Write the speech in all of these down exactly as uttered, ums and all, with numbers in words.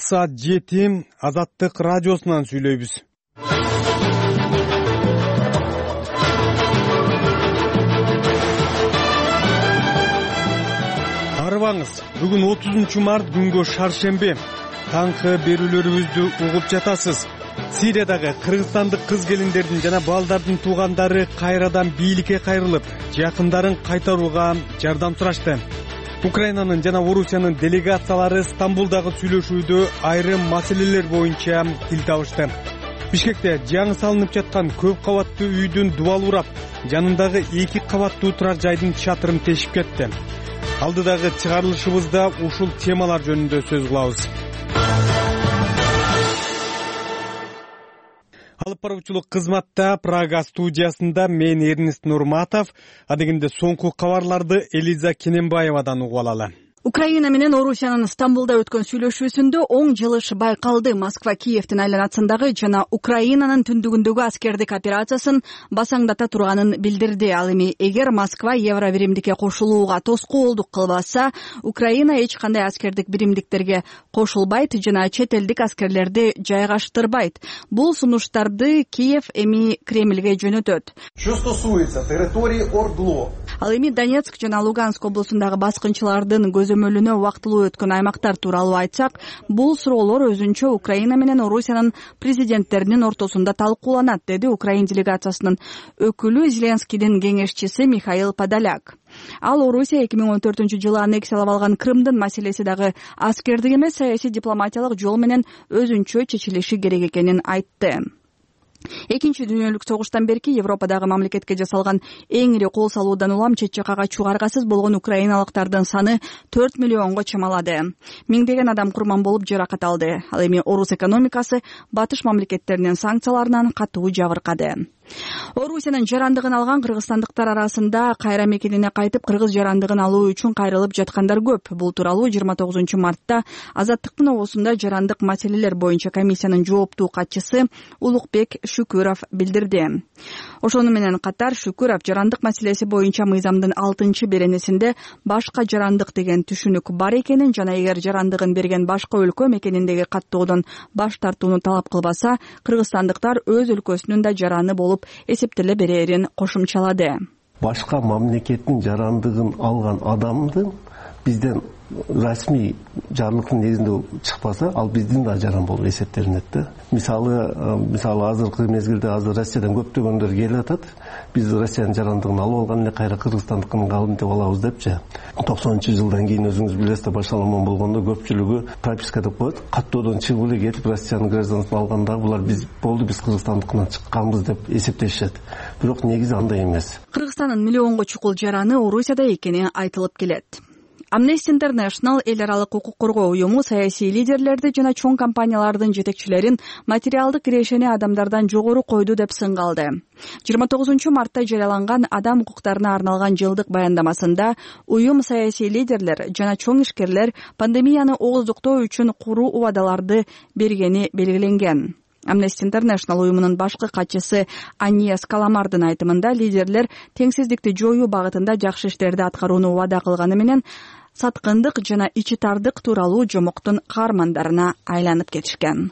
Талкы саат жети Азаттык радиосунан сүйлөйбүз. Арыбаңыз, бүгүн отузунчу март күнгө шаршемби. Таңкы берүүлөрүбүздү угуп жатасыз. Сириядагы кыргызстандык кыз келиндердин жана балдардын туугандары кайрадан бийликке кайрылып, жакындарын кайтарууга жардам сурашты. Украинанын жана Орусиянын делегациялары Стамбулдагы сүйлөшүүдө айрым маселелер боюнча тил табышты. Бишкекте жаңы салынып жаткан көп кабаттуу үйдүн дубалы урап, жанындагы эки кабаттуу турар жайдын чатырын тешип кетти. Алдыдагы чыгарылышыбызда ушул темалар жөнүндө сөз кылабыз. Алып баруучулук кызматта Прага студиясында мен Эрнест Нурматов, адегенде соңку кабарларды Элиза Кененбаевадан угуп алалы. Украина менен Орусиянын Стамбулда өткөн сүйлөшүүсүндө оң жылыш байкалды. Москва Киевдин айланасындагы жана Украинанын түндүгүндөгү аскердик операциясын басаңдата турганын билдирди. Ал эми эгер Москва Евро биримдикке кошулууга тоскоолдук кылбаса, Украина эч кандай аскердик биримдиктерге кошулбайт жана чет элдик аскерлерди жайгаштырбайт. Бул сунуштарды Киев эми Кремльге жөнөтөт. Что стосуется территории Ордло. Ал эми Донецк жана Луганск облусундагы баскынчылардын көзөмөлүнө убактылуу өткөн аймактар тууралуу айтсак, бул суроолор өзүнчө Украина менен Орусиянын президенттеринин ортосунда талкууланат, деди Украин делегациясынын өкүлү Зеленскийдин кеңешчиси Михаил Подоляк. Ал Орусия эки миң он төртүнчү жылы аннексиялап алган Крымдын маселеси дагы аскердик эмес, саясий дипломатиялык жол менен өзүнчө чечилиши керек экенин айтты. Экинчи дүйнөлүк согуштан берки Европадагы мамлекетке жасалган эң ири кол салуудан улам чет жакка качууга аргасыз болгон украиналыктардын саны төрт миллионго чамалады. Миңдеген адам курман болуп жаракат алды. Ал эми орус экономикасы батыш мамлекеттеринин санкцияларынан катуу жабыркады. Орусиянын жарандыгын алган кыргызстандыктар арасында кайра мекенине кайтып кыргыз жарандыгын алуу үчүн кайрылып жаткандар көп. Бул тууралуу жыйырма тогузунчу мартта Азаттыктын обосунда жарандык маселелер боюнча комиссиянын жооптуу катчысы Улукбек Шүкүров билдирди. Ошону менен катар Шүкүров жарандык маселеси боюнча мыйзамдын алтынчы беренесинде башка жарандык деген түшүнүк бар экенин жана эгер жарандыгын берген башка өлкө мекениндеги каттоодон баш тартууну талап кылбаса, кыргызстандыктар өз өлкөсүнүн да жараны болуп эсептеле берерин кошумчалады. Башка мамлекеттин жарандыгын алган адамдын бизден расмий жарлыктын негизинде чыкпаса, ал биздин да жаран болуп эсептелинет да. Мисалы, мисалы азыркы мезгилде азыр Россиядан көптөгөндөр келип атат. Биз Россиянын жарандыгын алып алган эле кайра кыргызстандыкын алып деп алабыз депчи. токсонунчу жылдан кийин өзүңүз билесиз, башаламан болгондо көпчүлүгү прописка деп коет. Каттоодон чыгып эле кетип Россиянын гражданствын алганда булар биз болду, биз кыргызстандыкынан чыкканбыз деп эсептешет. Бирок негизи андай эмес. Кыргызстандын миллионго чукул жараны Орусияда экени айтылып келет. Amnesty International эл аралык укук коргоо уюму саясий лидерлерди жана чоң компаниялардын жетекчилерин материалдык кирешени адамдардан жогору койду деп сынга алды. жыйырма тогузунчу мартта жарыяланган адам укуктарына арналган жылдык баяндамасында уюм саясий лидерлер жана чоң ишкерлер пандемияны ооздуктоо үчүн куру убадаларды бергени белгиленген. Amnesty International уюмунун башкы катчысы Аньес Каламардын айтымында лидерлер теңсиздикти жоюу багытында жакшы иштерди аткарууну убада кылганы менен саткындык жана ичи тардык тууралуу жомоктун каармандарына айланып кетишкен.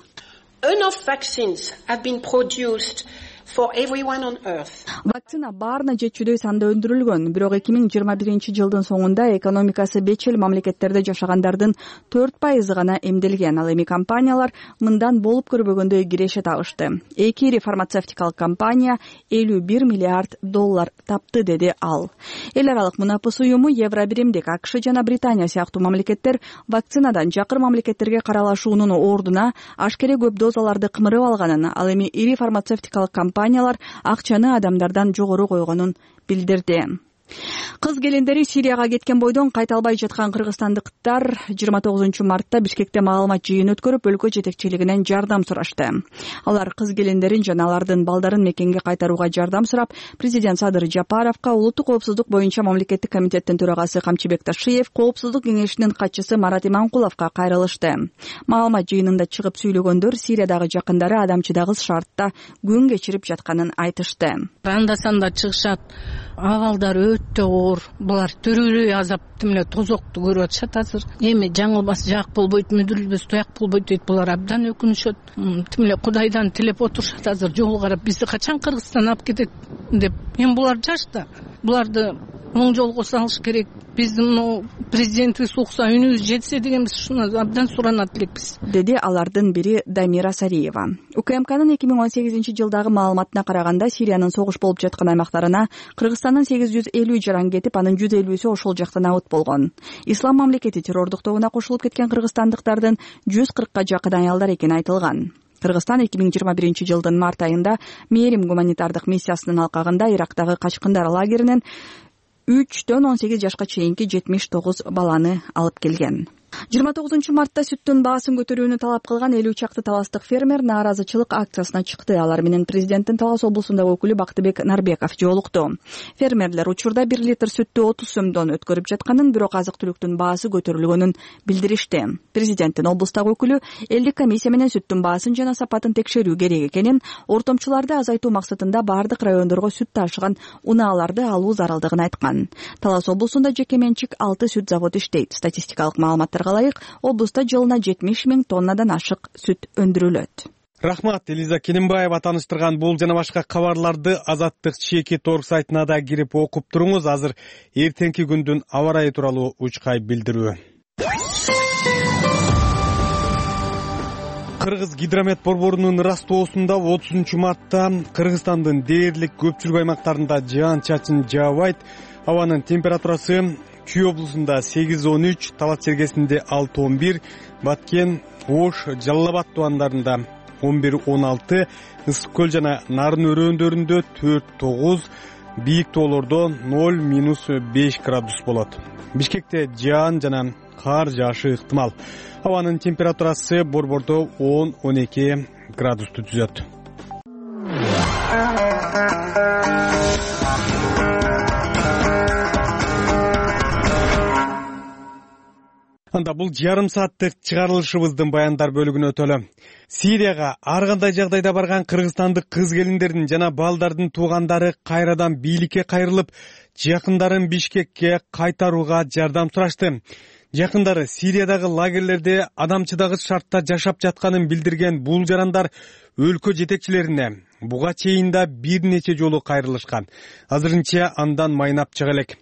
Enough vaccines have been produced for everyone on earth. Вакцина баарына жетчүдөй санда өндүрүлгөн, бирок эки миң жыйырма биринчи жылдын соңунда экономикасы бечил мамлекеттерде жашагандардын төрт пайызы гана эмделген. Ал эми компаниялар мындан болуп көрбөгөндөй киреше табышты. Эки ири фармацевтикалык компания элүү бир миллиард доллар тапты, деди ал. Эл аралык мунапыс уюму Евро биримдик, АКШ жана Британия сыяктуу мамлекеттер вакцинадан жакыр мамлекеттерге каралашуунун ордуна ашкере көп дозаларды кымырып алганын, ал эми ири фармацевтикалык компаниялар акчаны адамдардан жогору койгонун билдирди. Кыз келиндери Сирияга кеткен бойдон кайта албай жаткан кыргызстандыктар жыйырма тогузунчу мартта Бишкекте маалымат жыйын өткөрүп, өлкө жетекчилигинен жардам сурашты. Алар кыз келиндерин жана алардын балдарын мекенге кайтарууга жардам сурап, президент Садыр Жапаровго, улуттук коопсуздук боюнча мамлекеттик комитеттин төрагасы Камчыбек Ташиев, коопсуздук кеңешинин катчысы Марат Иманкуловго кайрылышты. Маалымат жыйынында чыгып сүйлөгөндөр Сириядагы жакындары адамчыдагыс шартта күн кечирип жатканын айтышты. Анда-санда чыгышат, абалдар өтө оор. Булар төрөлүү азап тимле тозокту көрүп атышат азыр. Эми жаңылбас жак болбойт, мүдүрүлбөс тояк болбойт дейт. Булар абдан өкүнүшөт. Тимле Кудайдан тилеп отурушат азыр. Жолу карап бизди качан Кыргызстан алып кетет деп. Эми булар жаш да. Буларды оң жолго салыш керек. Биздин мына президентибиз укса, үнүбүз жетсе деген биз ушуну абдан суранат элекпиз, деди алардын бири Дамира Сариева. УКМКнын эки миң он сегизинчи жылдагы маалыматына караганда, Сириянын согуш болуп жаткан аймактарына Кыргызстандын сегиз жүз элүү жаран кетип, анын жүз элүүсү ошол жактан абыт болгон. Ислам мамлекети террордук тобуна кошулуп кеткен кыргызстандыктардын жүз кыркка жакын аялдар экени айтылган. Кыргызстан эки миң жыйырма биринчи жылдын март айында Мээрим гуманитардык миссиясынын алкагында Ирактагы качкындар лагеринен үчтөн он сегиз жашка чейинки жетимиш тогуз баланы алып келген. жыйырма тогузунчу мартта сүттүн баасын көтөрүүнү талап кылган элүү чакты таластык фермер нааразычылык акциясына чыкты. Алар менен президенттин Талас облусундагы өкүлү Бактыбек Нарбеков жолукту. Фермерлер учурда бир литр сүттү отуз сомдон өткөрүп жатканын, бирок азык-түлүктүн баасы көтөрүлгөнүн билдиришти. Президенттин облустагы өкүлү элдик комиссия менен сүттүн баасын жана сапатын текшерүү керек экенин, ортомчуларды азайтуу максатында бардык райондорго сүт ташыган унааларды алуу зарылдыгын айткан. Талас облусунда жеке менчик алты сүт заводу иштейт. Статистикалык маалыматтар ылайык, облуста жылына жетимиш миң тоннадан ашык сүт өндүрүлөт. Рахмат, Элиза Кененбаева таныштырган бул жана башка кабарларды Азаттык чеки торг сайтына да кирип окуп туруңуз. Азыр эртеңки күндүн аба ырайы тууралуу учкай билдирүү. Кыргыз гидромет борборунун ырастоосунда отузунчу мартта Кыргызстандын дээрлик көпчүлүк аймактарында жаан-чачын жаабайт. Абанын температурасы Чүй облусунда сегиз он үч, Талас чергесинде алты он бир, Баткен, Ош, Жалал Абад тубандарында он бир он алты, Ысык көл жана Нарын өрөөндөрүндө төрт тогуз, бийик тоолордо ноль минус беш градус болот. Бишкекте жаан жана кар жаашы ыктымал. Абанын температурасы борбордо он он эки градусту түзөт. Анда бул жарым сааттык чыгарылышыбыздын баяндар бөлүгүнө өтөлү. Сирияга ар кандай жагдайда барган кыргызстандык кыз келиндердин жана балдардын туугандары кайрадан бийликке кайрылып, жакындарын Бишкекке кайтарууга жардам сурашты. Жакындары Сириядагы лагерлерде адамчыдагыс шартта жашап жатканын билдирген бул жарандар өлкө жетекчилерине буга чейин да бир нече жолу кайрылышкан. Азырынча андан майнап чыга элек.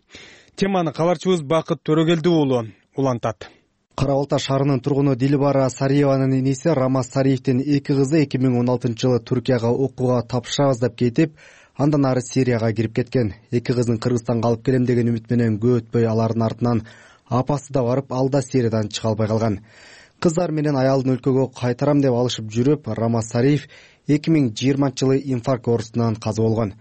Теманы кабарчыбыз Бакыт Төрөгелди уулу улантат. Кара Балта шаарынын тургуну Дилбара Сариеванын иниси Рамаз Сариевдин эки кызы эки миң он алтынчы жылы Түркияга окууга тапшырабыз деп кетип, андан ары Сирияга кирип кеткен. Эки кызын Кыргызстанга алып келем деген үмүт менен көп өтпөй алардын артынан апасы да барып, ал да Сириядан чыга албай калган. Кыздар менен аялдын өлкөгө кайтарам деп алышып жүрүп, Рамаз Сариев эки миң жыйырманчы жылы инфаркт оорусунан каза болгон.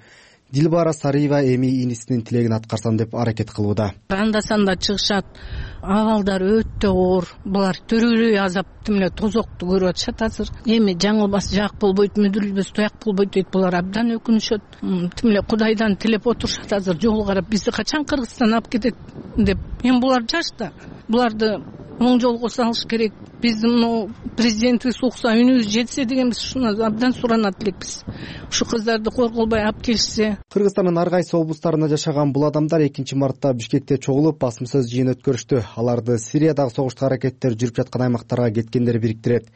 Дилбара Сариева эми инисинин тилегин аткарсам деп аракет кылууда. Анда санда чыгышат, абалдар өтө оор. Булар төрөлүү азап тимле тозокту көрүп атышат азыр. Эми жаңылбас жак болбойт, мүдүрүлбөс тояк болбойт дейт. Булар абдан өкүнүшөт. Тимле Кудайдан тилеп отурушат азыр. Жолу карап бизди качан Кыргызстан алып кетет деп. Эми булар жаш да. Буларды оң жолго салыш керек. Биздин мына президентибиз укса, үнүбүз жетсе деген биз ушуну абдан суранат элекпиз. Ушу кыздарды корголбой алып келишсе. Кыргызстандын ар кайсы облустарында жашаган бул адамдар экинчи мартта Бишкекте чогулуп басым сөз жыйын өткөрүштү. Аларды Сириядагы согуштук аракеттер жүрүп жаткан аймактарга кеткендер бириктирет.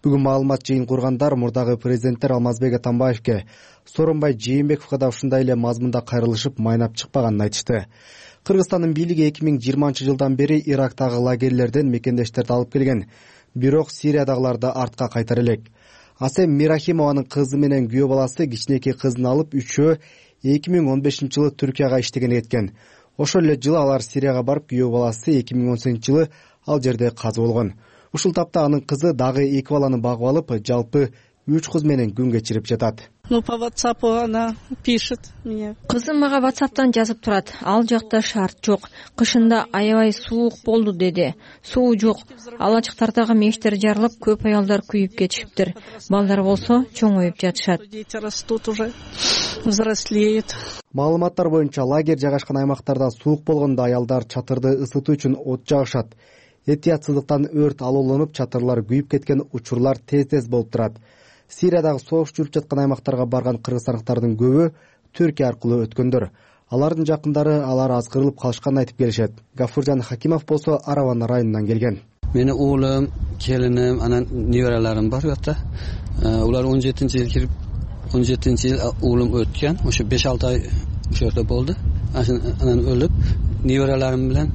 Бүгүн маалымат жыйын кургандар мурдагы президенттер Алмазбек Атамбаевке, Сооронбай Жээнбековго да ушундай эле мазмунда кайрылышып, майнап чыкпаганын айтышты. Кыргызстандын бийлиги эки миң жыйырманчы жылдан бери Ирактагы лагерлерден мекендештерди алып келген, бирок Сириядагыларды артка кайтара элек. Асем Мирахимованын кызы менен күйөө баласы кичинекей кызын алып үчөө эки миң он бешинчи жылы Түркияга иштегени кеткен. Ошол эле жылы алар Сирияга барып, күйөө баласы эки миң он сегизинчи жылы ал жерде каза болгон. Ушул тапта анын кызы дагы эки баланы багып алып, жалпы үч кыз менен күн кечирип жатат. Ну, по WhatsApp она пишет мне. Кызым мага WhatsApp'тан жазып турат. Ал жакта шарт жок. Кышында аябай суук болду деди. Суу жок. Алачыктардагы мештер жарылып, көп аялдар күйүп кетишиптир. Балдар болсо чоңоюп жатышат. Дети растут уже, взрослеют. Маалыматтар боюнча лагерь жайгашкан аймактарда суук болгондо аялдар чатырды ысытуу үчүн от жагышат. Этиятсыздыктан өрт алоолонуп, чатырлар күйүп кеткен учурлар тез-тез болуп турат. Сириядагы согуш жүрүп жаткан аймактарга барган кыргызстандыктардын көбү Түркия аркылуу өткөндөр. Алардын жакындары алар азгырылып калышканын айтып келишет. Гафуржан Хакимов болсо Араван районунан келген. Мени уулум, келиним, анан неберелерим бар жатта. Улар он жетинчи жыл кирип, он жетинчи жыл уулум өткөн. Ошо беш алты ай ошо жерде болду. Анан өлүп, неберелерим менен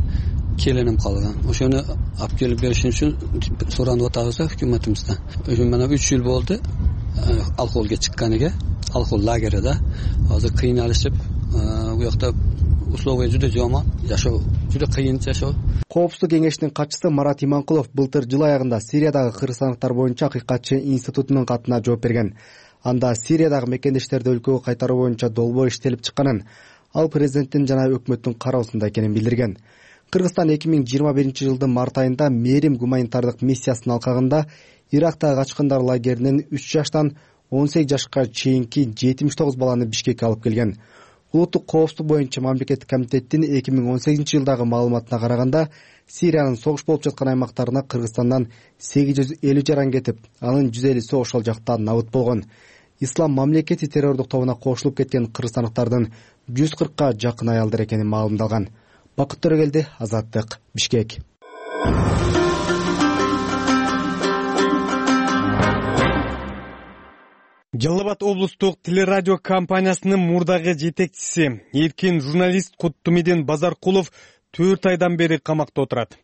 келиним калган. Ошону алып келип беришин үчүн суранып атабыз өкмөтүбүздөн. Ошо мына үч жыл болду алкоголго чыкканыга, алкогол лагерде. Азыр кыйналышып, бу жакта условия жүдө жаман, жашоо жүдө кыйын жашоо. Коопсуздук кеңешинин катчысы Марат Иманкулов былтыр жыл аягында Сириядагы кыргызстандыктар боюнча акыйкатчы институтунун катына жооп берген. Анда Сириядагы мекендештерди өлкөгө кайтаруу боюнча долбоор иштелип чыкканын, ал президенттин жана өкмөттүн кароосунда экенин билдирген. Кыргызстан эки миң жыйырма биринчи жылдын март айында Мерим гуманитардык миссиясынын алкагында Ирактагы качкындар лагеринен үч жаштан он сегиз жашка чейинки жетимиш тогуз баланы Бишкекке алып келген. Улуттук коопсуздук боюнча мамлекеттик комитеттин эки миң он сегизинчи жылдагы маалыматына караганда, Сириянын согуш болуп жаткан аймактарына Кыргызстандан сегиз жүз элүү жаран кетип, анын жүз элүүсү ошол жакта набыт болгон. Ислам мамлекети террордук тобуна кошулуп кеткен кыргызстандыктардын жүз кыркка жакын аялдар экени маалымдалган. Бакыт Төрөгелди, Азаттык, Бишкек. Жалал Абад облустук телерадио компаниясынын мурдагы жетекчиси, эркин журналист Куттумидин Базаркулов төрт айдан бери камакта отурат.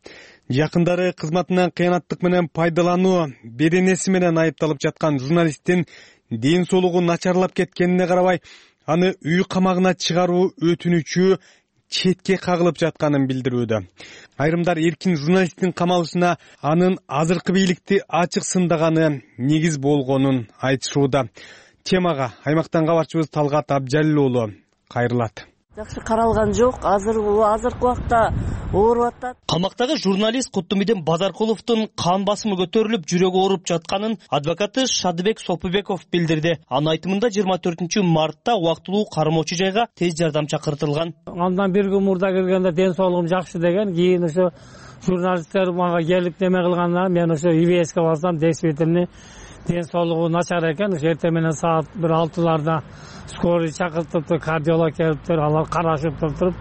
Жакындары кызматынан кыянаттык менен пайдалануу беренеси менен айыпталып жаткан журналисттин ден соолугу начарлап кеткенине карабай, аны үй камагына чыгаруу өтүнүчү четке кагылып жатканын билдирүүдө. Айрымдар эркин журналисттин камалышына анын азыркы бийликти ачык сындаганы негиз болгонун айтышууда. Темага аймактан кабарчыбыз Талгат Абжалил уулу кайрылат. Жакшы каралган жок, азыр азыркы убакта ооруп атат. Камактагы журналист Куттумидин Базаркуловдун кан басымы көтөрүлүп, жүрөгү ооруп жатканын адвокаты Шадыбек Сопубеков билдирди. Анын айтымында жыйырма төртүнчү мартта убактылуу кармоочу жайга тез жардам чакыртылган. Андан бир күн мурда келгенде ден соолугум жакшы деген, кийин ошо журналисттер мага келип неме кылганда мен ошо И В С'ке барсам, действительно ден соолугу начар экен. Ошо эртең менен саат бир алтыларда скорый чакыртыптыр, кардиолог келиптир, алар карашып туруп,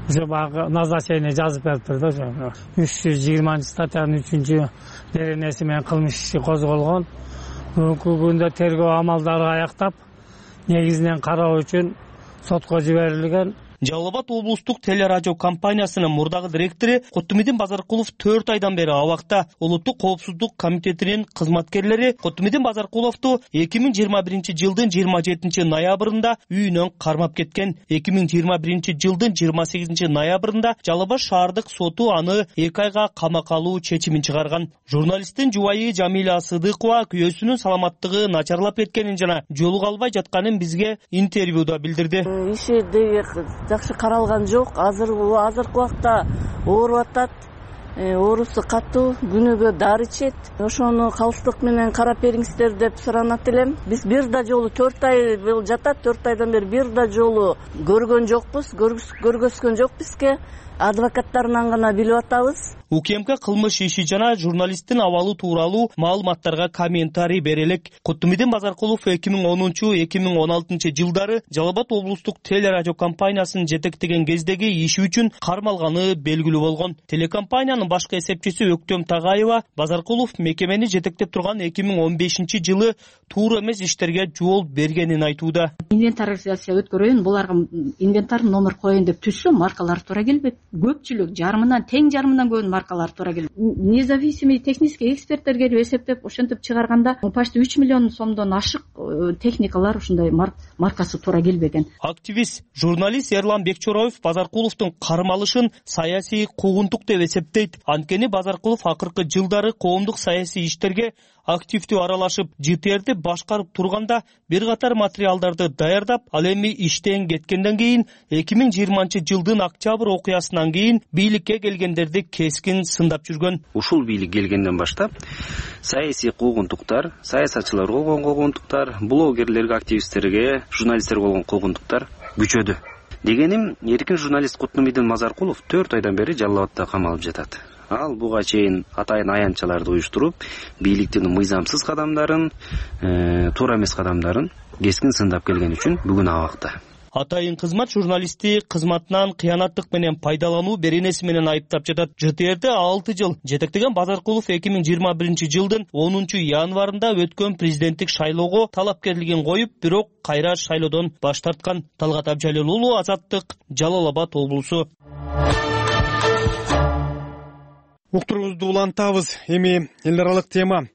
ошо баягы назначение жазып бериптир да. Ошо үч жүз жыйырманчы статьянын үчүнчү беренеси менен кылмыш иши козголгон. Бүгүнкү күндө тергөө амалдары аяктап, негизинен кароо үчүн сотко жиберилген. Жалал Абад облустук телерадио компаниясынын мурдагы директору Куттумидин Базаркулов төрт айдан бери абакта. Улуттук коопсуздук комитетинин кызматкерлери Куттумидин Базаркуловду эки миң жыйырма биринчи жылдын жыйырма жетинчи ноябрында үйүнөн кармап кеткен. эки миң жыйырма биринчи жылдын жыйырма сегизинчи ноябрында Жалал Абад шаардык соту аны эки айга камакка алуу чечимин чыгарган. Журналисттин жубайы Жамиля Сыдыкова күйөөсүнүн саламаттыгы начарлап кеткенин жана жолуга албай жатканын бизге интервьюда билдирди. Иши жакшы каралган жок, азыр азыркы убакта ооруп атат. Оорусу катуу, күнүгө дары ичет. Ошону калыстык менен карап бериңиздер деп суранат элем. Биз бир да жолу төрт ай жатат, төрт айдан бери бир да жолу көргөн жокпуз, көргөзгөн жок бизге. Адвокаттарынан гана билип атабыз. УКМК кылмыш иши жана журналисттин абалы тууралуу маалыматтарга комментарий берелек. Куттумидин Базаркулов эки миң онунчу — эки миң он алтынчы жылдары Жалал Абад облустук телерадио компаниясын жетектеген кездеги иши үчүн кармалганы белгилүү болгон. Телекомпаниянын башкы эсепчиси Өктөм Тагаева Базаркулов мекемени жетектеп турган эки миң он бешинчи жылы туура эмес иштерге жол бергенин айтууда. Инвентаризация өткөрөйүн, буларга инвентар номер коеюн деп түшсө, маркалар туура келбейт. Көпчүлүк жарымынан, тең жарымынан көп маркалар туура келет. Независимый технический эксперттер келип эсептеп, ошентип чыгарганда почти үч миллион сомдон ашык техникалар ушундай маркасы туура келбеген. Активист, журналист Эрлан Бекчороев Базаркуловдун кармалышын саясий куугунтук деп эсептейт. Анткени Базаркулов акыркы жылдары коомдук саясий иштерге активдүү аралашып, Ж Т Р'ди башкарып турганда бир катар материалдарды даярдап, ал эми иштен кеткенден кийин эки миң жыйырманчы жылдын октябрь окуясынан кийин бийликке келгендерди кескин сындап жүргөн. Ушул бийлик келгенден баштап саясий куугунтуктар, саясатчыларга болгон куугунтуктар, блогерлерге, активисттерге, журналисттерге болгон куугунтуктар күчөдү. Дегеним, эркин журналист Куттумидин Базаркулов төрт айдан бери Жалал Абадта камалып жатат. Ал буга чейин атайын аянтчаларды уюштуруп, бийликтин мыйзамсыз кадамдарын, туура эмес кадамдарын кескин сындап келген үчүн бүгүн абакта. Атайын кызмат журналистти кызматынан кыянаттык менен пайдалануу беренеси менен айыптап жатат. ЖТРди алты жыл жетектеген Базаркулов эки миң жыйырма биринчи жылдын онунчу январында өткөн президенттик шайлоого талапкерлигин коюп, бирок кайра шайлоодон баш тарткан. Талгат Абжалил уулу, Азаттык, Жалал Абад облусу. Уктуруубузду улантабыз. Эми эл аралык тема.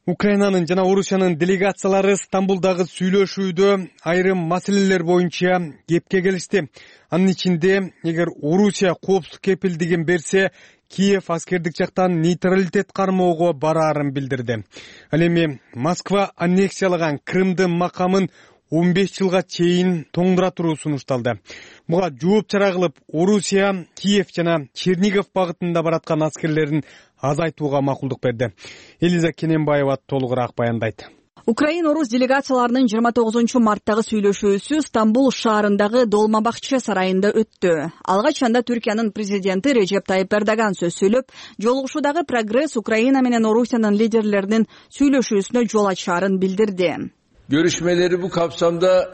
Украинанын жана Орусиянын делегациялары Стамбулдагы сүйлөшүүдө айрым маселелер боюнча кепке келишти. Анын ичинде, эгер Орусия коопсуздук кепилдигин берсе, Киев аскердик жактан нейтралитет кармоого бараарын билдирди. Ал эми Москва аннексиялаган Крымдын макамын он беш жылга чейин тоңдура туруу сунушталды. Буга жооп чара кылып, Орусия Киев жана Чернигов багытында бараткан аскерлерин азайтууга макулдук берди. Элиза Кененбаева толугураак баяндайт. Украин-Орус делегацияларынын жыйырма тогузунчу марттагы сүйлөшүүсү Стамбул шаарындагы Долма бакча сарайында өттү. Алгач анда Түркиянын президенти Режеп Тайып Эрдоган сөз сүйлөп, жолугушуудагы прогресс Украина менен Орусиянын лидерлеринин сүйлөшүүсүнө жол ачаарын билдирди. Görüşmeleri bu kapsamda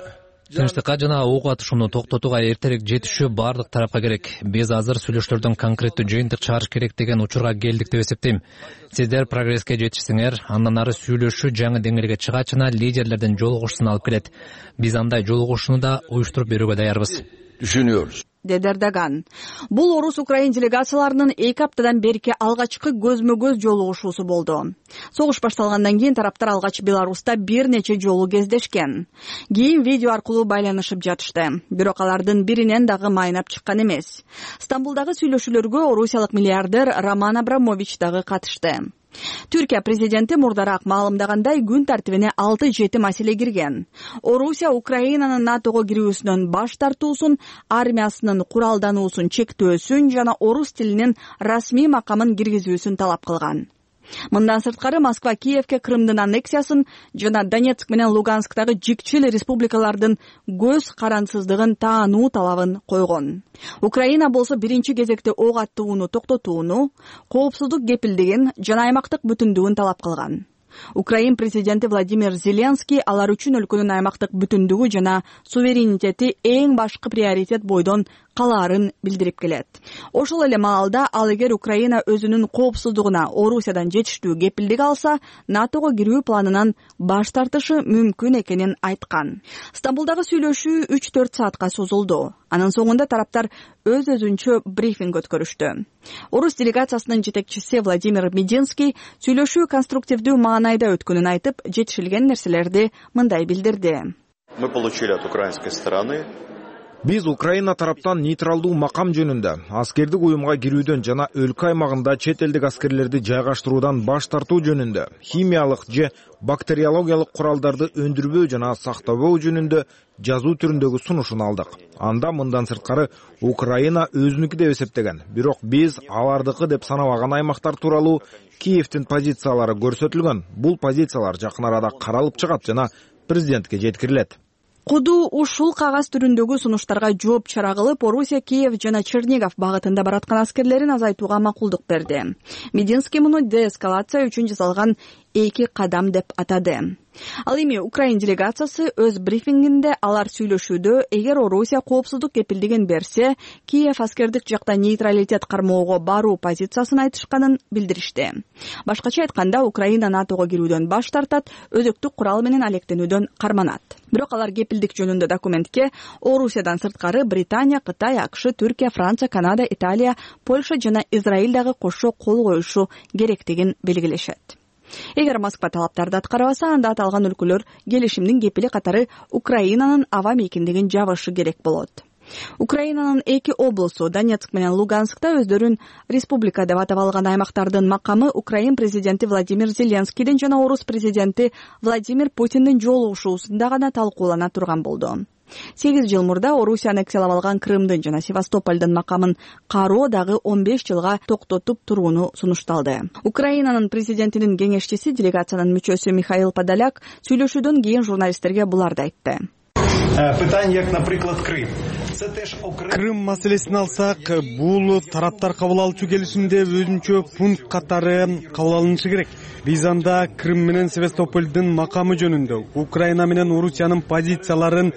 Тынчтыкка жана ок атышууну токтотууга эртерээк жетишүү баардык тарапка керек. Биз азыр сүйлөшүүлөрдөн конкреттүү жыйынтык чыгарыш керек деген учурга келдик деп эсептейм. Сиздер прогресске жетишсеңер, андан ары сүйлөшүү жаңы деңгээлге чыгачына лидерлердин жолугушуусун алып келет. Биз андай жолугушууну да уюштуруп берүүгө даярбыз. Düşünüyoruz. Деди Эрдоган. Бул Орус-Украин делегацияларынын эки аптадан берки алгачкы көзмө-көз жолугушуусу болду. Согуш башталгандан кийин тараптар алгач Беларуста бир нече жолу кездешкен. Кийин видео аркылуу байланышып жатышты. Бирок алардын биринен дагы майнап чыккан эмес. Стамбулдагы сүйлөшүүлөргө орусиялык миллиардер Роман Абрамович дагы катышты. Түркия президенти мурдараак маалымдагандай күн тартибине алты жети маселе кирген. Орусия Украинанын НАТОго кирүүсүнөн баш тартуусун, армиясынын куралдануусун чектөөсүн жана орус тилинин расмий макамын киргизүүсүн талап кылган. Мындан сырткары Москва Киевке Крымдын аннексиясын жана Донецк менен Лугансктагы жикчил республикалардын көз карансыздыгын таануу талабын койгон. Украина болсо биринчи кезекте ок аттууну токтотууну, коопсуздук кепилдигин жана аймактык бүтүндүгүн талап кылган. Украин президенти Владимир Зеленский алар үчүн өлкөнүн аймактык бүтүндүгү жана суверенитети эң башкы приоритет бойдон калаарын билдирип келет. Ошол эле маалда ал эгер Украина өзүнүн коопсуздугуна Орусиядан жетиштүү кепилдик алса, НАТОго кирүү планынан баш тартышы мүмкүн экенин айткан. Стамбулдагы сүйлөшүү үч төрт саатка созулду. Анын соңунда тараптар өз өзүнчө брифинг өткөрүштү. Орус делегациясынын жетекчиси Владимир Мединский сүйлөшүү конструктивдүү маанайда өткөнүн айтып, жетишилген нерселерди мындай билдирди. Мы получили от украинской стороны Биз Украина тараптан нейтралдуу макам жөнүндө аскердик уюмга кирүүдөн жана өлкө аймагында чет элдик аскерлерди жайгаштыруудан баш тартуу жөнүндө, химиялык же бактериологиялык куралдарды өндүрбөө жана сактабоо жөнүндө жазуу түрүндөгү сунушун алдык. Анда мындан сырткары Украина өзүнүкү деп эсептеген, бирок биз алардыкы деп санабаган аймактар тууралуу Киевдин позициялары көрсөтүлгөн. Бул позициялар жакын арада каралып чыгат жана президентке жеткирилет. Куду ушул кагаз түрүндөгү сунуштарга жооп чара кылып, Орусия Киев жана Чернигов багытында бараткан аскерлерин азайтууга макулдук берди. Мединский муну деэскалация үчүн жасалган эки кадам деп атады. Ал эми Украин делегациясы өз брифингинде алар сүйлөшүүдө эгер Орусия коопсуздук кепилдигин берсе, Киев аскердик жакта нейтралитет кармоого баруу позициясын айтышканын билдиришти. Башкача айтканда, Украина НАТОго кирүүдөн баш тартат, өзөктүк курал менен алектенүүдөн карманат. Бирок алар кепилдик жөнүндө документке Орусиядан сырткары Британия, Кытай, АКШ, Түркия, Франция, Канада, Италия, Польша жана Израиль дагы кошо кол коюшу керектигин белгилешет. Эгер Москва талаптарды аткарбаса, анда аталган өлкөлөр келишимдин кепили катары Украинанын аба мейкиндигин жабышы керек болот. Украинанын эки облусу Донецк менен Луганскта өздөрүн республика деп атап алган аймактардын макамы Украин президенти Владимир Зеленскийдин жана Орус президенти Владимир Путиндин жолугушуусунда гана талкуулана турган болду. сегиз жыл мурда Орусия аннексиялап алган Крымдын жана Севастополдун макамын кароо дагы он беш жылга токтотуп турууну сунушталды. Украинанын президентинин кеңешчиси, делегациянын мүчөсү Михаил Подоляк сүйлөшүүдөн кийин журналисттерге буларды айтты. Питання, як, наприклад, Крим. Крым маселесин алсак, бул тараптар кабыл алуучу келишимде өзүнчө пункт катары кабыл алынышы керек. Биз анда Крым менен Севастополдун макамы жөнүндө, Украина менен Орусиянын позицияларын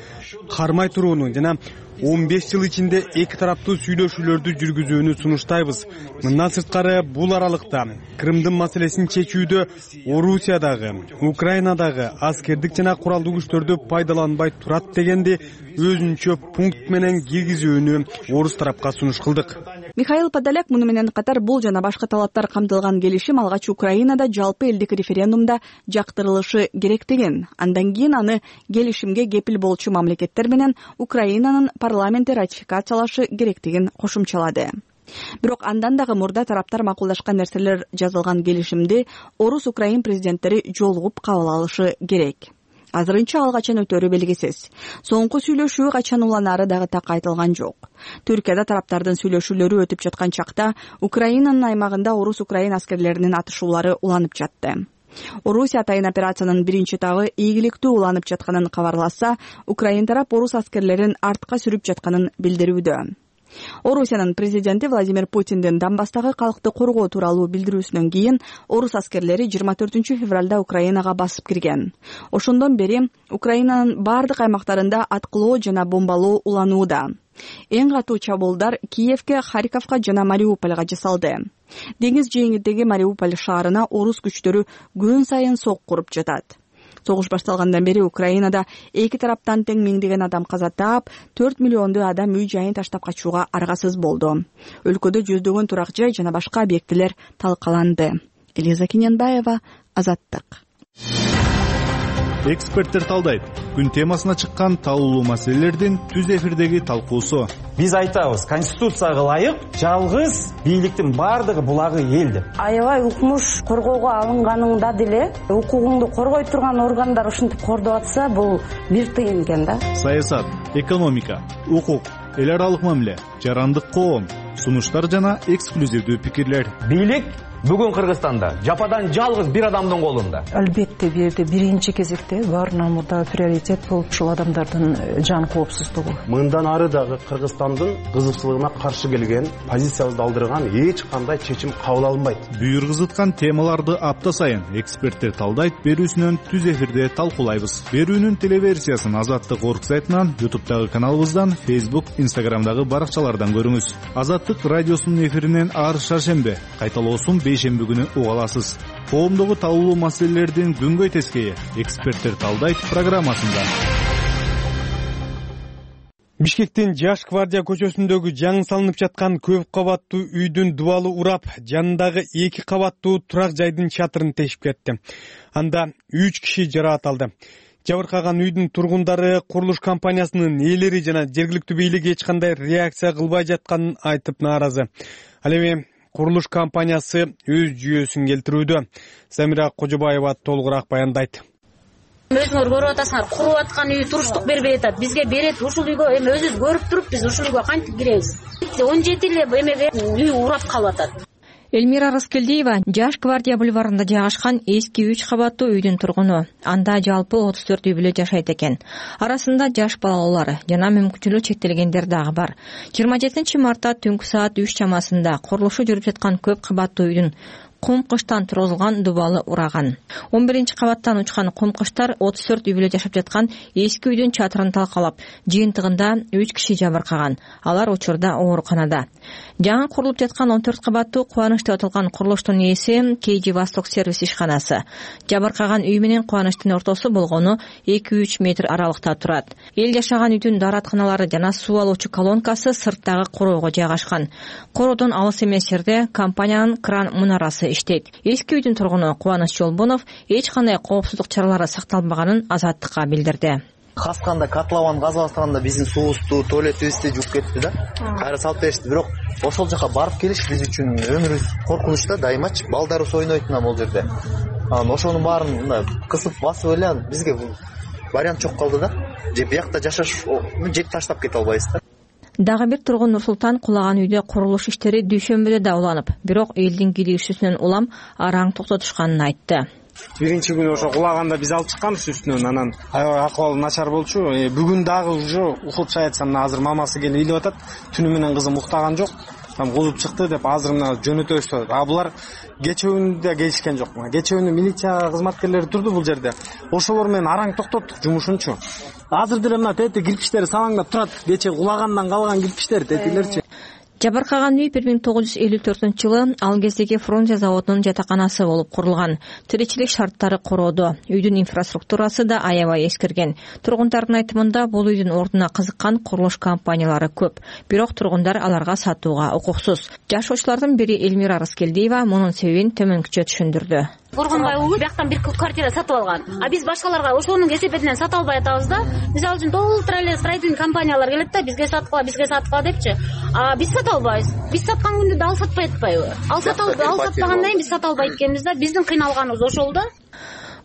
кармай турууну жана он беш жыл ичинде эки тараптуу сүйлөшүүлөрдү жүргүзүүнү сунуштайбыз. Мындан сырткары бул аралыкта Крымдын маселесин чечүүдө Орусиядагы, Украинадагы аскердик жана куралдуу күчтөрдү пайдаланбай турат дегенди өзүнчө пункт менен киргизүүнү орус тарапка сунуш кылдык. Михаил Подоляк муну менен катар бул жана башка талаптар камтылган келишим алгач Украинада жалпы элдик референдумда жактырылышы керек деген. Андан кийин аны келишимге кепил болчу мамлекеттер менен Украинанын парламенти ратификациялашы керектигин кошумчалады. Бирок андан дагы мурда тараптар макулдашкан нерселер жазылган келишимди орус-украин президенттери жолугуп кабыл алышы керек. Азырынча ал качан өтөрү белгисиз. Соңку сүйлөшүү качан уланары дагы так айтылган жок. Түркияда тараптардын сүйлөшүүлөрү өтүп жаткан чакта Украинанын аймагында орус-украин аскерлеринин атышуулары уланып жатты. Орусия атайын операциянын биринчи этабы ийгиликтүү уланып жатканын кабарласа, Украин тарап орус аскерлерин артка сүрүп жатканын билдирүүдө. Орусиянын президенти Владимир Путиндин Донбасстагы калкты коргоо тууралуу билдирүүсүнөн кийин орус аскерлери жыйырма төртүнчү февралда Украинага басып кирген. Ошондон бери Украинанын бардык аймактарында аткылоо жана бомбалоо уланууда. Эң катуу чабуулдар Киевке, Харьковго жана Мариупольго жасалды. Деңиз жээгиндеги Мариуполь шаарына орус күчтөрү күн сайын сок куруп жатат. Согуш башталгандан бери Украинада эки тараптан тең миңдеген адам каза таап, төрт миллионду адам үй жайын таштап качууга аргасыз болду. Өлкөдө жүздөгөн турак жай жана башка объектилер талкаланды. Элиза Кинянбаева, Азаттык. Эксперттер талдайт. Күн темасына чыккан талуулуу маселелердин түз эфирдеги талкуусу. Биз айтабыз, конституцияга ылайык жалгыз бийликтин бардыгы булагы эл деп. Аябай укмуш коргоого алынганында деле укугуңду коргой турган органдар ушинтип кордоп атса, бул бир тыйын экен да. Саясат, экономика, укук, эл аралык мамиле, жарандык коом, сунуштар жана эксклюзивдүү пикирлер. Бийлик бүгүн Кыргызстанда жападан жалгыз бир адамдын колунда. Албетте бул жерде биринчи кезекте баарынан мурда приоритет болуп ушул адамдардын жан коопсуздугу. Мындан ары дагы Кыргызстандын кызыкчылыгына каршы келген, позициябызды алдырган эч кандай чечим кабыл алынбайт. Бүйүргүзүткан темаларды апта сайын эксперттер талдайт берүүсүнөн түз эфирде талкуулайбыз. Берүүнүн телеверсиясын Азаттык орг сайтынан, ютубтагы каналыбыздан, Facebook, Instagramдагы баракчалардан көрүңүз. Азаттык радиосунун эфиринен ар шаршембе, кайталоосун бейшемби күнү уга аласыз. Коомдогу талуулуу маселелердин күнгөй тескейи эксперттер талдайт программасында. Бишкектин Жаш гвардия көчөсүндөгү жаңы салынып жаткан көп кабаттуу үйдүн дубалы урап, жанындагы эки кабаттуу турак жайдын чатырын тешип кетти. Анда үч киши жараат алды. Жабыркаган үйдүн тургундары курулуш компаниясынын ээлери жана жергиликтүү бийлик эч кандай реакция кылбай жатканын айтып нааразы. Ал эми курулуш компаниясы өз жүйөсүн келтирүүдө. Замира Кожобаева толугураак баяндайт. Өзүңөр көрүп атасыңар, куруп аткан үй туруштук бербей атат. Бизге берет, ушул үйгө эми өзүбүз көрүп туруп, биз ушул үйгө кантип киребиз? он жети эле эмеге үй урап калып атат. Элмира Раскелдиева Жаш гвардия бульварында жайгашкан эски үч кабаттуу үйдүн тургуну. Анда жалпы отуз төрт үй бүлө жашайт экен. Арасында жаш балалар жана мүмкүнчүлүгү чектелгендер дагы бар. жыйырма жетинчи мартта түнкү саат үч чамасында курулушу жүрүп жаткан көп кабаттуу үйдүн кум кыштан тургузулган дубалы ураган. он биринчи кабаттан учкан кум кыштар отуз төрт үй бүлө жашап жаткан эски үйдүн чатырын талкалап, жыйынтыгында үч киши жабыркаган. Алар учурда ооруканада. Жаңы курулуп жаткан он төрт кабаттуу Кубаныч деп аталган курулуштун ээси кей джи Восток сервис ишканасы. Жабыркаган үй менен Кубанычтын ортосу болгону эки үч метр аралыкта турат. Эл жашаган үйдүн дааратканалары жана суу алуучу колонкасы сырттагы короого жайгашкан. Короодон алыс эмес жерде компаниянын кран мунарасы иштейт. Эски үйдүн тургуну Кубаныч Жолбонов эч кандай коопсуздук чаралары сакталбаганын Азаттыкка билдирди. Хасканда котлован газга баштаганда биздин суубузду, туалетибизди жууп кетти да. Кайра салып беришти. Бирок ошол жака барып келиш биз үчүн өмүрүбүз коркунучта, дайымачы балдарыбыз ойнойт мына бул жерде. Анан ошонун баарын мындай кысып басып эле бизге вариант жок калды да. Же биякта жашаш жеп таштап кете албайбыз да. Дагы бир тургун Нурсултан кулаган үйдө курулуш иштери дүйшөмбүдө да уланып, бирок элдин кийлигишүүсүнөн улам араң токтотушканын айтты. Биринчи күнү ошо кулаганда биз алып чыкканбыз үстүнөн, анан аябай акыбалы начар болчу. Бүгүн дагы уже укутуп жатсам, мына азыр мамасы келип илип атат. Түнү менен кызым уктаган жок. Там кузуп чыкты деп азыр мына жөнөтөбүз деп. А булар кечөөндө келишкен жок. Кечөөндө милиция кызматкерлери турду бул жерде. Ошолор менен араң токтоттук жумушунчу. Азыр деле мына тети кирпиштери салаңдап турат. Кече кулагандан калган кирпиштер тетилерчи. Жабыркаган үй бир миң тогуз жүз элүү төртүнчү жылы ал кездеги Фрунзе заводунун жатаканасы болуп курулган. Тиричилик шарттары короодо. Үйдүн инфраструктурасы да аябай эскирген. Тургундардын айтымында бул үйдүн ордуна кызыккан курулуш компаниялары көп. Бирок тургундар аларга сатууга укуксуз. Жашоочулардын бири Элмира Рыскелдиева мунун себебин төмөнкүчө түшүндүрдү. Коргонбай уулу бияктан бир квартира сатып алган. А биз башкаларга ошонун кесепетинен сата албай атабыз да. Биз ал үчүн толтура эле строительный компаниялар келет да, бизге саткыла, бизге саткыла депчи. А биз сата албайбыз. Биз саткан күндө да ал сатпай атпайбы? Ал сата ал сатпагандан кийин биз сата албайт экенбиз да. Биздин кыйналганыбыз ошол да.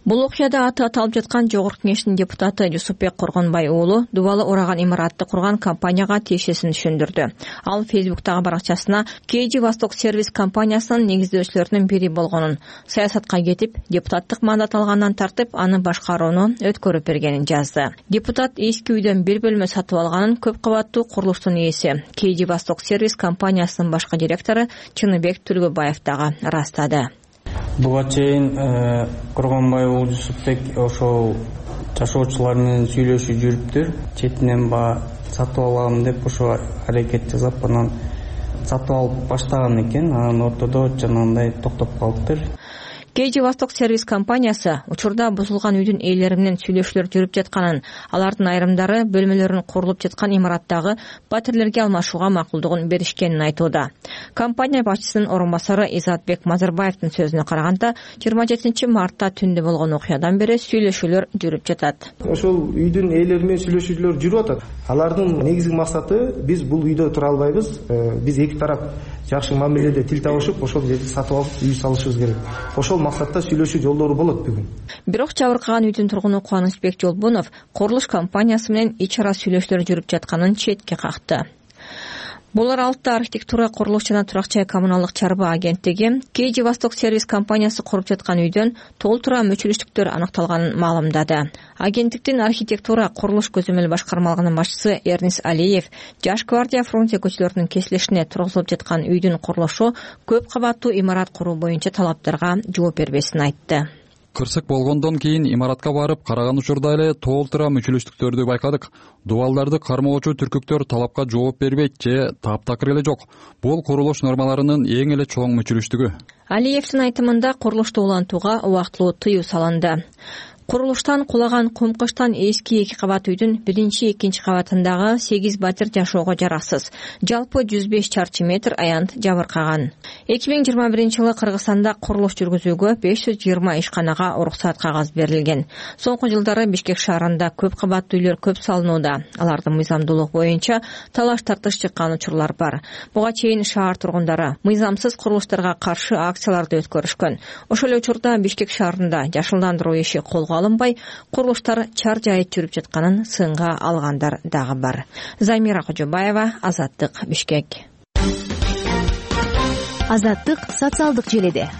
Бул окуяда аты аталып жаткан Жогорку Кеңештин депутаты Жусупбек Коргонбай уулу дубалы ураган имаратты курган компанияга тиешесин түшүндүрдү. Ал Фейсбуктагы баракчасына кей джи Восток сервис компаниясынын негиздөөчүлөрүнүн бири болгонун, саясатка кетип, депутаттык мандат алгандан тартып, аны башкарууну өткөрүп бергенин жазды. Депутат эски үйдөн бир бөлмө сатып алганын көп кабаттуу курулуштун ээси, кей джи Восток сервис компаниясынын башкы директору Чыныбек Түлгөбаев дагы ырастады. Буга чейин Коргонбай уулу Жусупбек ошол жашоочулар менен сүйлөшүп жүрүптүр. Четинен ба сатып алам деп ошо аракет жасап, анан сатып алып баштаган экен. Анан ортодо жанагындай токтоп калыптыр. кей джи Восток сервис компаниясы учурда бузулган үйдүн ээлери менен сүйлөшүүлөр жүрүп жатканын, алардын айрымдары бөлмөлөрүн курулуп жаткан имараттагы батирлерге алмашууга макулдугун беришкенин айтууда. Компания башчысынын орун басары Изатбек Мазарбаевдин сөзүнө караганда, жыйырма жетинчи мартта түндө болгон окуядан бери сүйлөшүүлөр жүрүп жатат. Ошол үйдүн ээлери менен сүйлөшүүлөр жүрүп атат. Алардын негизги максаты биз бул үйдө тура албайбыз. Биз эки тарап жакшы мамиледе тил табышып, ошол жерди сатып алып үй салышыбыз керек. Ошол максатта сүйлөшүү жолдору болот бүгүн. Бирок жабыркаган үйдүн тургуну Кубанычбек Жолбонов курулуш компаниясы менен ич ара сүйлөшүүлөр жүрүп жатканын четке какты. Бул аралыкта архитектура, курулуш жана турак жай коммуналдык чарба агенттиги кей джи Восток сервис компаниясы куруп жаткан үйдөн толтура мүчүлүштүктөр аныкталганын маалымдады. Агенттиктин архитектура, курулуш көзөмөл башкармалыгынын башчысы Эрнис Алиев Жаш гвардия Фрунзе көчөлөрүнүн кесилишине тургузулуп жаткан үйдүн курулушу көп кабаттуу имарат куруу боюнча талаптарга жооп бербесин айтты. Кырсык болгондон кийин имаратка барып караган учурда эле толтура мүчүлүштүктөрдү байкадык. Дубалдарды кармоочу түркүктөр талапка жооп бербейт же таптакыр эле жок. Бул курулуш нормаларынын эң эле чоң мүчүлүштүгү. Алиевдин айтымында курулушту улантууга убактылуу тыюу салынды. Курулуштан кулаган кумкычтан эски эки кабат үйдүн биринчи, экинчи кабатындагы сегиз батир жашоого жараксыз. Жалпы жүз беш чарчы метр аянт жабыркаган. эки миң жыйырма биринчи жылы Кыргызстанда курулуш жүргүзүүгө беш жүз жыйырма ишканага уруксат кагаз берилген. Соңку жылдары Бишкек шаарында көп кабаттуу үйлөр көп салынууда. Алардын мыйзамдуулугу боюнча талаш тартыш чыккан учурлар бар. Буга чейин шаар тургундары мыйзамсыз курулуштарга каршы акцияларды өткөрүшкөн. Ошол эле учурда Бишкек шаарында жашылдандыруу иши колго алынбай, курулуштар чар жайыт жүрүп жатканын сынга алгандар дагы бар. Замира Кожобаева, Азаттык, Бишкек. Азаттык социалдык желеде.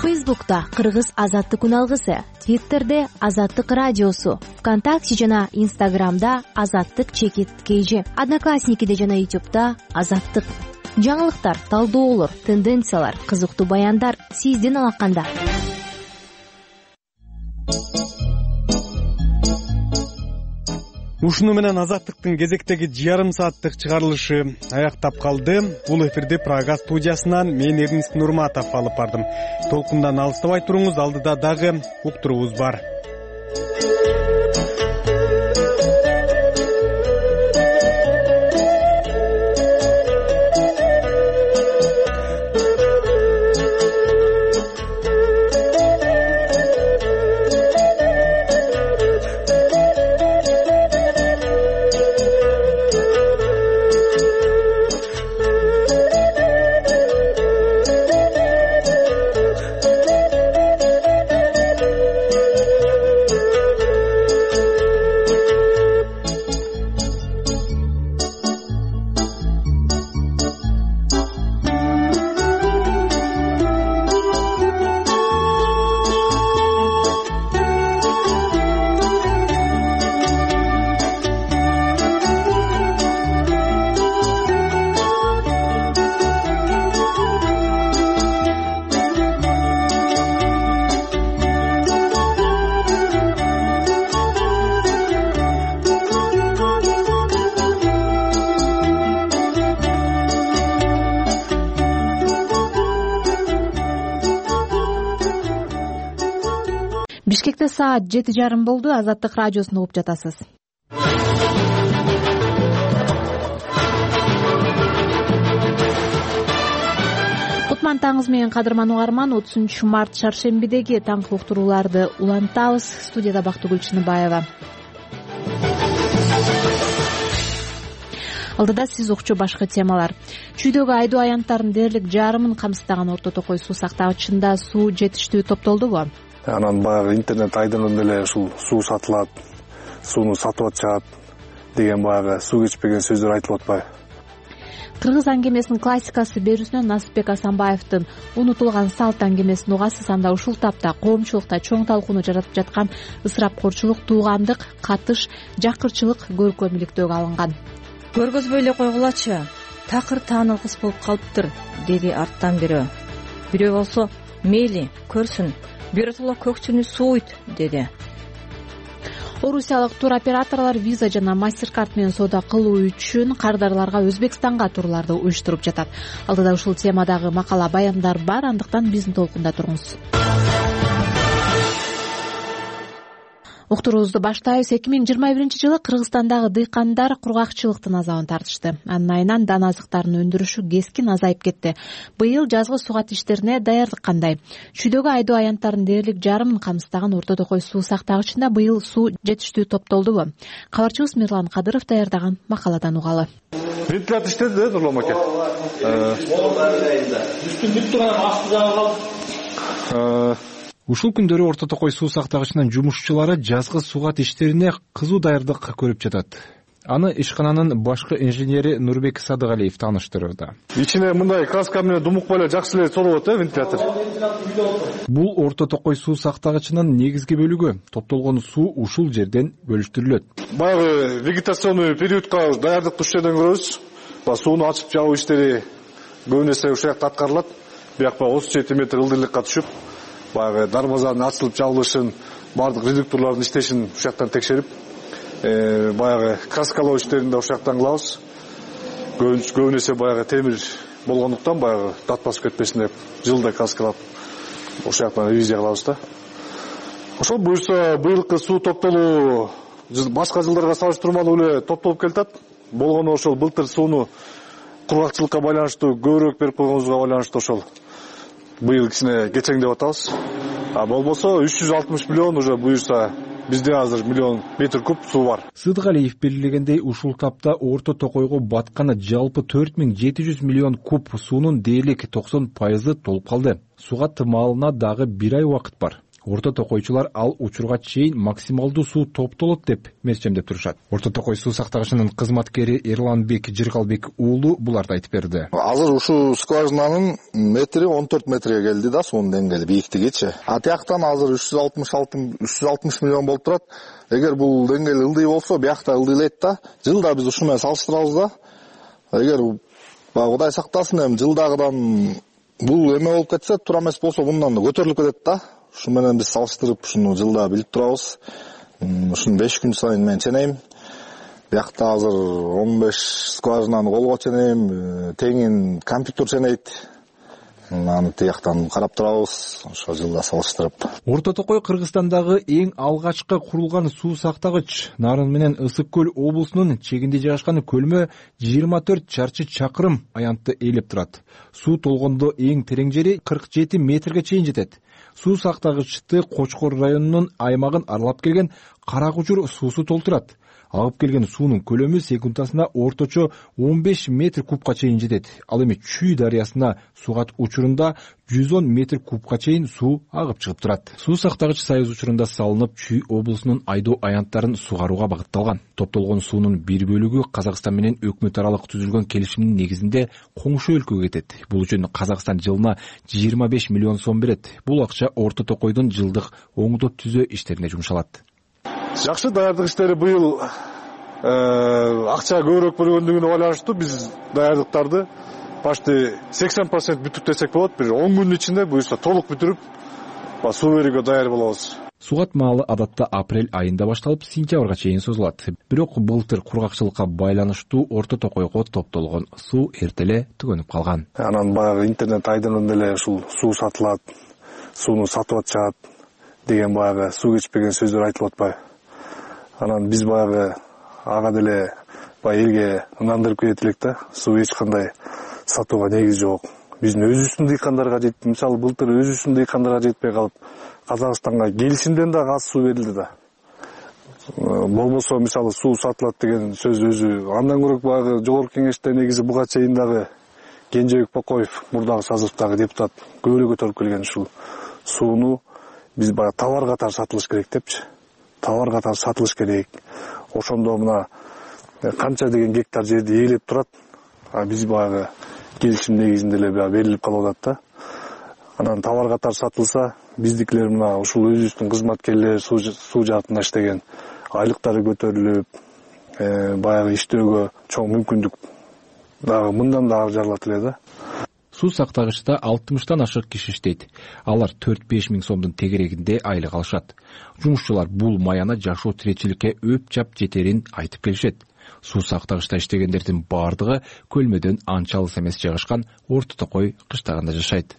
Фейсбукта Кыргыз Азаттык үналгысы, Твиттерде Азаттык радиосу, ВКонтакте жана Инстаграмда Азаттык чекит kg, Одноклассникиде жана Ютубта Азаттык. Жаңылыктар, талдоолор, тенденциялар, кызыктуу баяндар сиздин алаканда. Ушуну менен Азаттыктын кезектеги жарым сааттык чыгарылышы аяктап калды. Бул эфирди Прага студиясынан мен Эрнис Нурматов алып бардым. Толкундан алыстабай туруңуз, алдыда дагы уктуруубуз бар. Бишкекте саат жети жарым болду. Азаттык радиосун угуп жатасыз. Кутман таңыңыз менен кадырман угарман. отузунчу март шаршембидеги таңкы уктурууларды улантабыз. Студияда Бактыгүл Чыныбаева. Алдыда сиз укчу башкы темалар. Чүйдөгү айдоо аянттарынын дээрлик жарымын камсыздаган Орто Токой суу сактагычында суу жетиштүү топтолдубу? Анан баягы интернет айдынын деле ушул суу сатылат, сууну сатып атышат деген баягы суу кечпеген сөздөр айтылып атпайбы? Кыргыз аңгемесинин классикасы берүүсүнөн Насыпбек Асанбаевдин унутулган салт аңгемесин угасыз. Анда ушул тапта коомчулукта чоң талкууну жаратып жаткан ысырапкорчулук, туугандык, катыш, жакырчылык көркөмүлүктөгө алынган. Көргөзбөй эле койгулачы, такыр таанылгыс болуп калыптыр, деди арттан бирөө. Бирөө болсо, мейли, көрсүн, биротоло көкчүнү сууйт, деди. Орусиялык туроператорлор виза жана мастер-карт менен соода кылуу үчүн кардарларга Өзбекстанга турларды уюштуруп жатат. Алдыда ушул темадагы макала, баяндар бар, андыктан биздин толкунда туруңуз. Уктуруубузду баштайбыз. эки миң жыйырма биринчи жылы Кыргызстандагы дыйкандар кургакчылыктын азабын тартышты. Анын айынан дана азыктарын өндүрүшү кескин азайып кетти. Быйыл жазгы сугат иштерине даярдык кандай? Чүйдөгү айдоо аянттарынын дээрлик жарымын камсыздаган Орто Токой суу сактагычында быйыл суу жетиштүү топтолдубу? Кабарчыбыз Мирлан Кадыров даярдаган макаладан угалы. Вентилятор иштеди да, Нурлан аке? Үстүн бүттү, асты жагы калды. Ушул күндөрү Орто Токой суу сактагычынын жумушчулары жазгы сугат иштерине кызуу даярдык көрүп жатат. Аны ишкананын башкы инженери Нурбек Садыгалиев тааныштырды. Ичине мындай краска менен думукпай эле жакшы эле солот э вентилятор. Бул Орто Токой суу сактагычынын негизги бөлүгү. Топтолгон суу ушул жерден бөлүштүрүлөт. Баягы вегетационный периодко даярдык ушул жерден көрөбүз. Сууну ачып жабуу иштери көбүн эсе ушул жакта аткарылат. Бияк баягы отуз жети метр ылдыйлыкка түшүп, баягы дарбазанын ачылып жабылышын, бардык редукторлордун иштешин ушул жактан текшерип, баягы краскалоо иштерин да ушул жактан кылабыз. Көбүн эсе баягы темир болгондуктан баягы дат басып кетпесин деп жылда краскалап ушул жактан ревизия кылабыз да. Ошол буюрса быйылкы суу топтолуу башка жылдарга салыштырмалуу эле топтолуп келатат. Болгону ошол былтыр сууну кургакчылыкка байланыштуу көбүрөөк берип койгонубузга байланыштуу ошол быйыл кичине кечеңдеп атабыз. А болбосо үч жүз алтымыш миллион уже буюрса бизде азыр миллион метр куб суу бар. Сыдыгалиев белгилегендей, ушул тапта Орто Токойго батканы жалпы төрт миң жети жүз миллион куб суунун дээрлик токсон пайызы толуп калды. Суга тымалына дагы бир ай убакыт бар. Орто Токойчулар ал учурга чейин максималдуу суу топтолот деп мерчемдеп турушат. Орто Токой суу сактагычынын кызматкери Эрланбек Жыргалбек уулу буларды айтып берди. Азыр ушул скважинанын метри он төрт метрге келди да, суунун деңгээли бийиктигичи. А тияктан азыр үч жүз алтымыш алты үч жүз алтымыш миллион болуп турат. Эгер бул деңгээл ылдый болсо, биякта ылдыйлайт да. Жылда биз ушу менен салыштырабыз да. Эгер Кудай сактасын, эми жылдагыдан бул эме болуп кетсе, туура эмес болсо мындан да көтөрүлүп кетет да. Ушу менен биз салыштырып ушуну жылда билип турабыз. Ушуну беш күн сайын мен ченейм. Биякта азыр он беш скважинаны колго ченейм, теңин компьютер ченейт. Аны тияктан карап турабыз, ошо жылда салыштырып. Орто Токой Кыргызстандагы эң алгачкы курулган суу сактагыч. Нарын менен Ысык көл облусунун чегинде жайгашкан көлмө жыйырма төрт чарчы чакырым аянтты ээлеп турат. Суу толгондо эң терең жери кырк жети метрге чейин жетет. Суу сактагычты Кочкор районунун аймагын аралап келген Кара Кучур суусу толтурат. Агып келген суунун көлөмү секундасына орточо он беш метр кубка чейин жетет. Ал эми Чүй дарыясына сугат учурунда жүз он метр кубка чейин суу агып чыгып турат. Суу сактагыч Союз учурунда салынып, Чүй облусунун айдоо аянттарын сугарууга багытталган. Топтолгон суунун бир бөлүгү Казакстан менен өкмөт аралык түзүлгөн келишимдин негизинде коңшу өлкөгө кетет. Бул үчүн Казакстан жылына жыйырма беш миллион сом берет. Бул акча Орто Токойдун жылдык оңдоо түзөө иштерине жумшалат. Жакшы даярдык иштери быйыл акча көбүрөөк бөлгөндүгүнө байланыштуу биз даярдыктарды почти сексен процент бүтүп десек болот. Бир он күндүн ичинде буюрса толук бүтүрүп, суу берүүгө даяр болобуз. Сугат маалы адатта апрель айында башталып, сентябрга чейин созулат. Бирок былтыр кургакчылыкка байланыштуу Орто Токойго топтолгон суу эртеле түгөнүп калган. Анан баягы интернет айдынын деле ушул суу сатылат, сууну сатып атышат деген баягы суу кечпеген сөздөр айтылып атпайбы. Анан биз баягы ага деле баягы элге ынандырып кетет элек да, суу эч кандай сатууга негиз жок. Биздин өзүбүздүн дыйкандарга жетти. Мисалы былтыр өзүбүздүн дыйкандарга жетпей калып, Казакстанга келишимден да аз суу берилди да. Болбосо мисалы суу сатылат деген сөз өзү андан көрө баягы жогорку кеңеште негизи буга чейин дагы Кенжебек Бакоев мурдагы созывдагы депутат көп эле көтөрүп келген ушул сууну биз баягы товар катары сатылыш керек депчи. Товар катары сатылыш керек. Ошондо мына канча деген гектар жерди ээлеп турат. А биз баягы келишим негизинде эле берилип калып атат да. Анан товар катары сатылса, биздикилер мына ушул өзүбүздүн кызматкерлер суу жаатында иштеген айлыктары көтөрүлүп, баягы иштөөгө чоң мүмкүндүк дагы мындан да аржарлат эле да. Суу сактагычта алтымыштан ашык киши иштейт. Алар төрт-беш миң сомдун тегерегинде айлык алышат. Жумушчулар бул маяна жашоо тиречиликке өп жап жетерин айтып келишет. Суу сактагычта иштегендердин бардыгы Көлмөдөн анча алыс эмес жайгашкан Орто Токой кыштагында жашайт.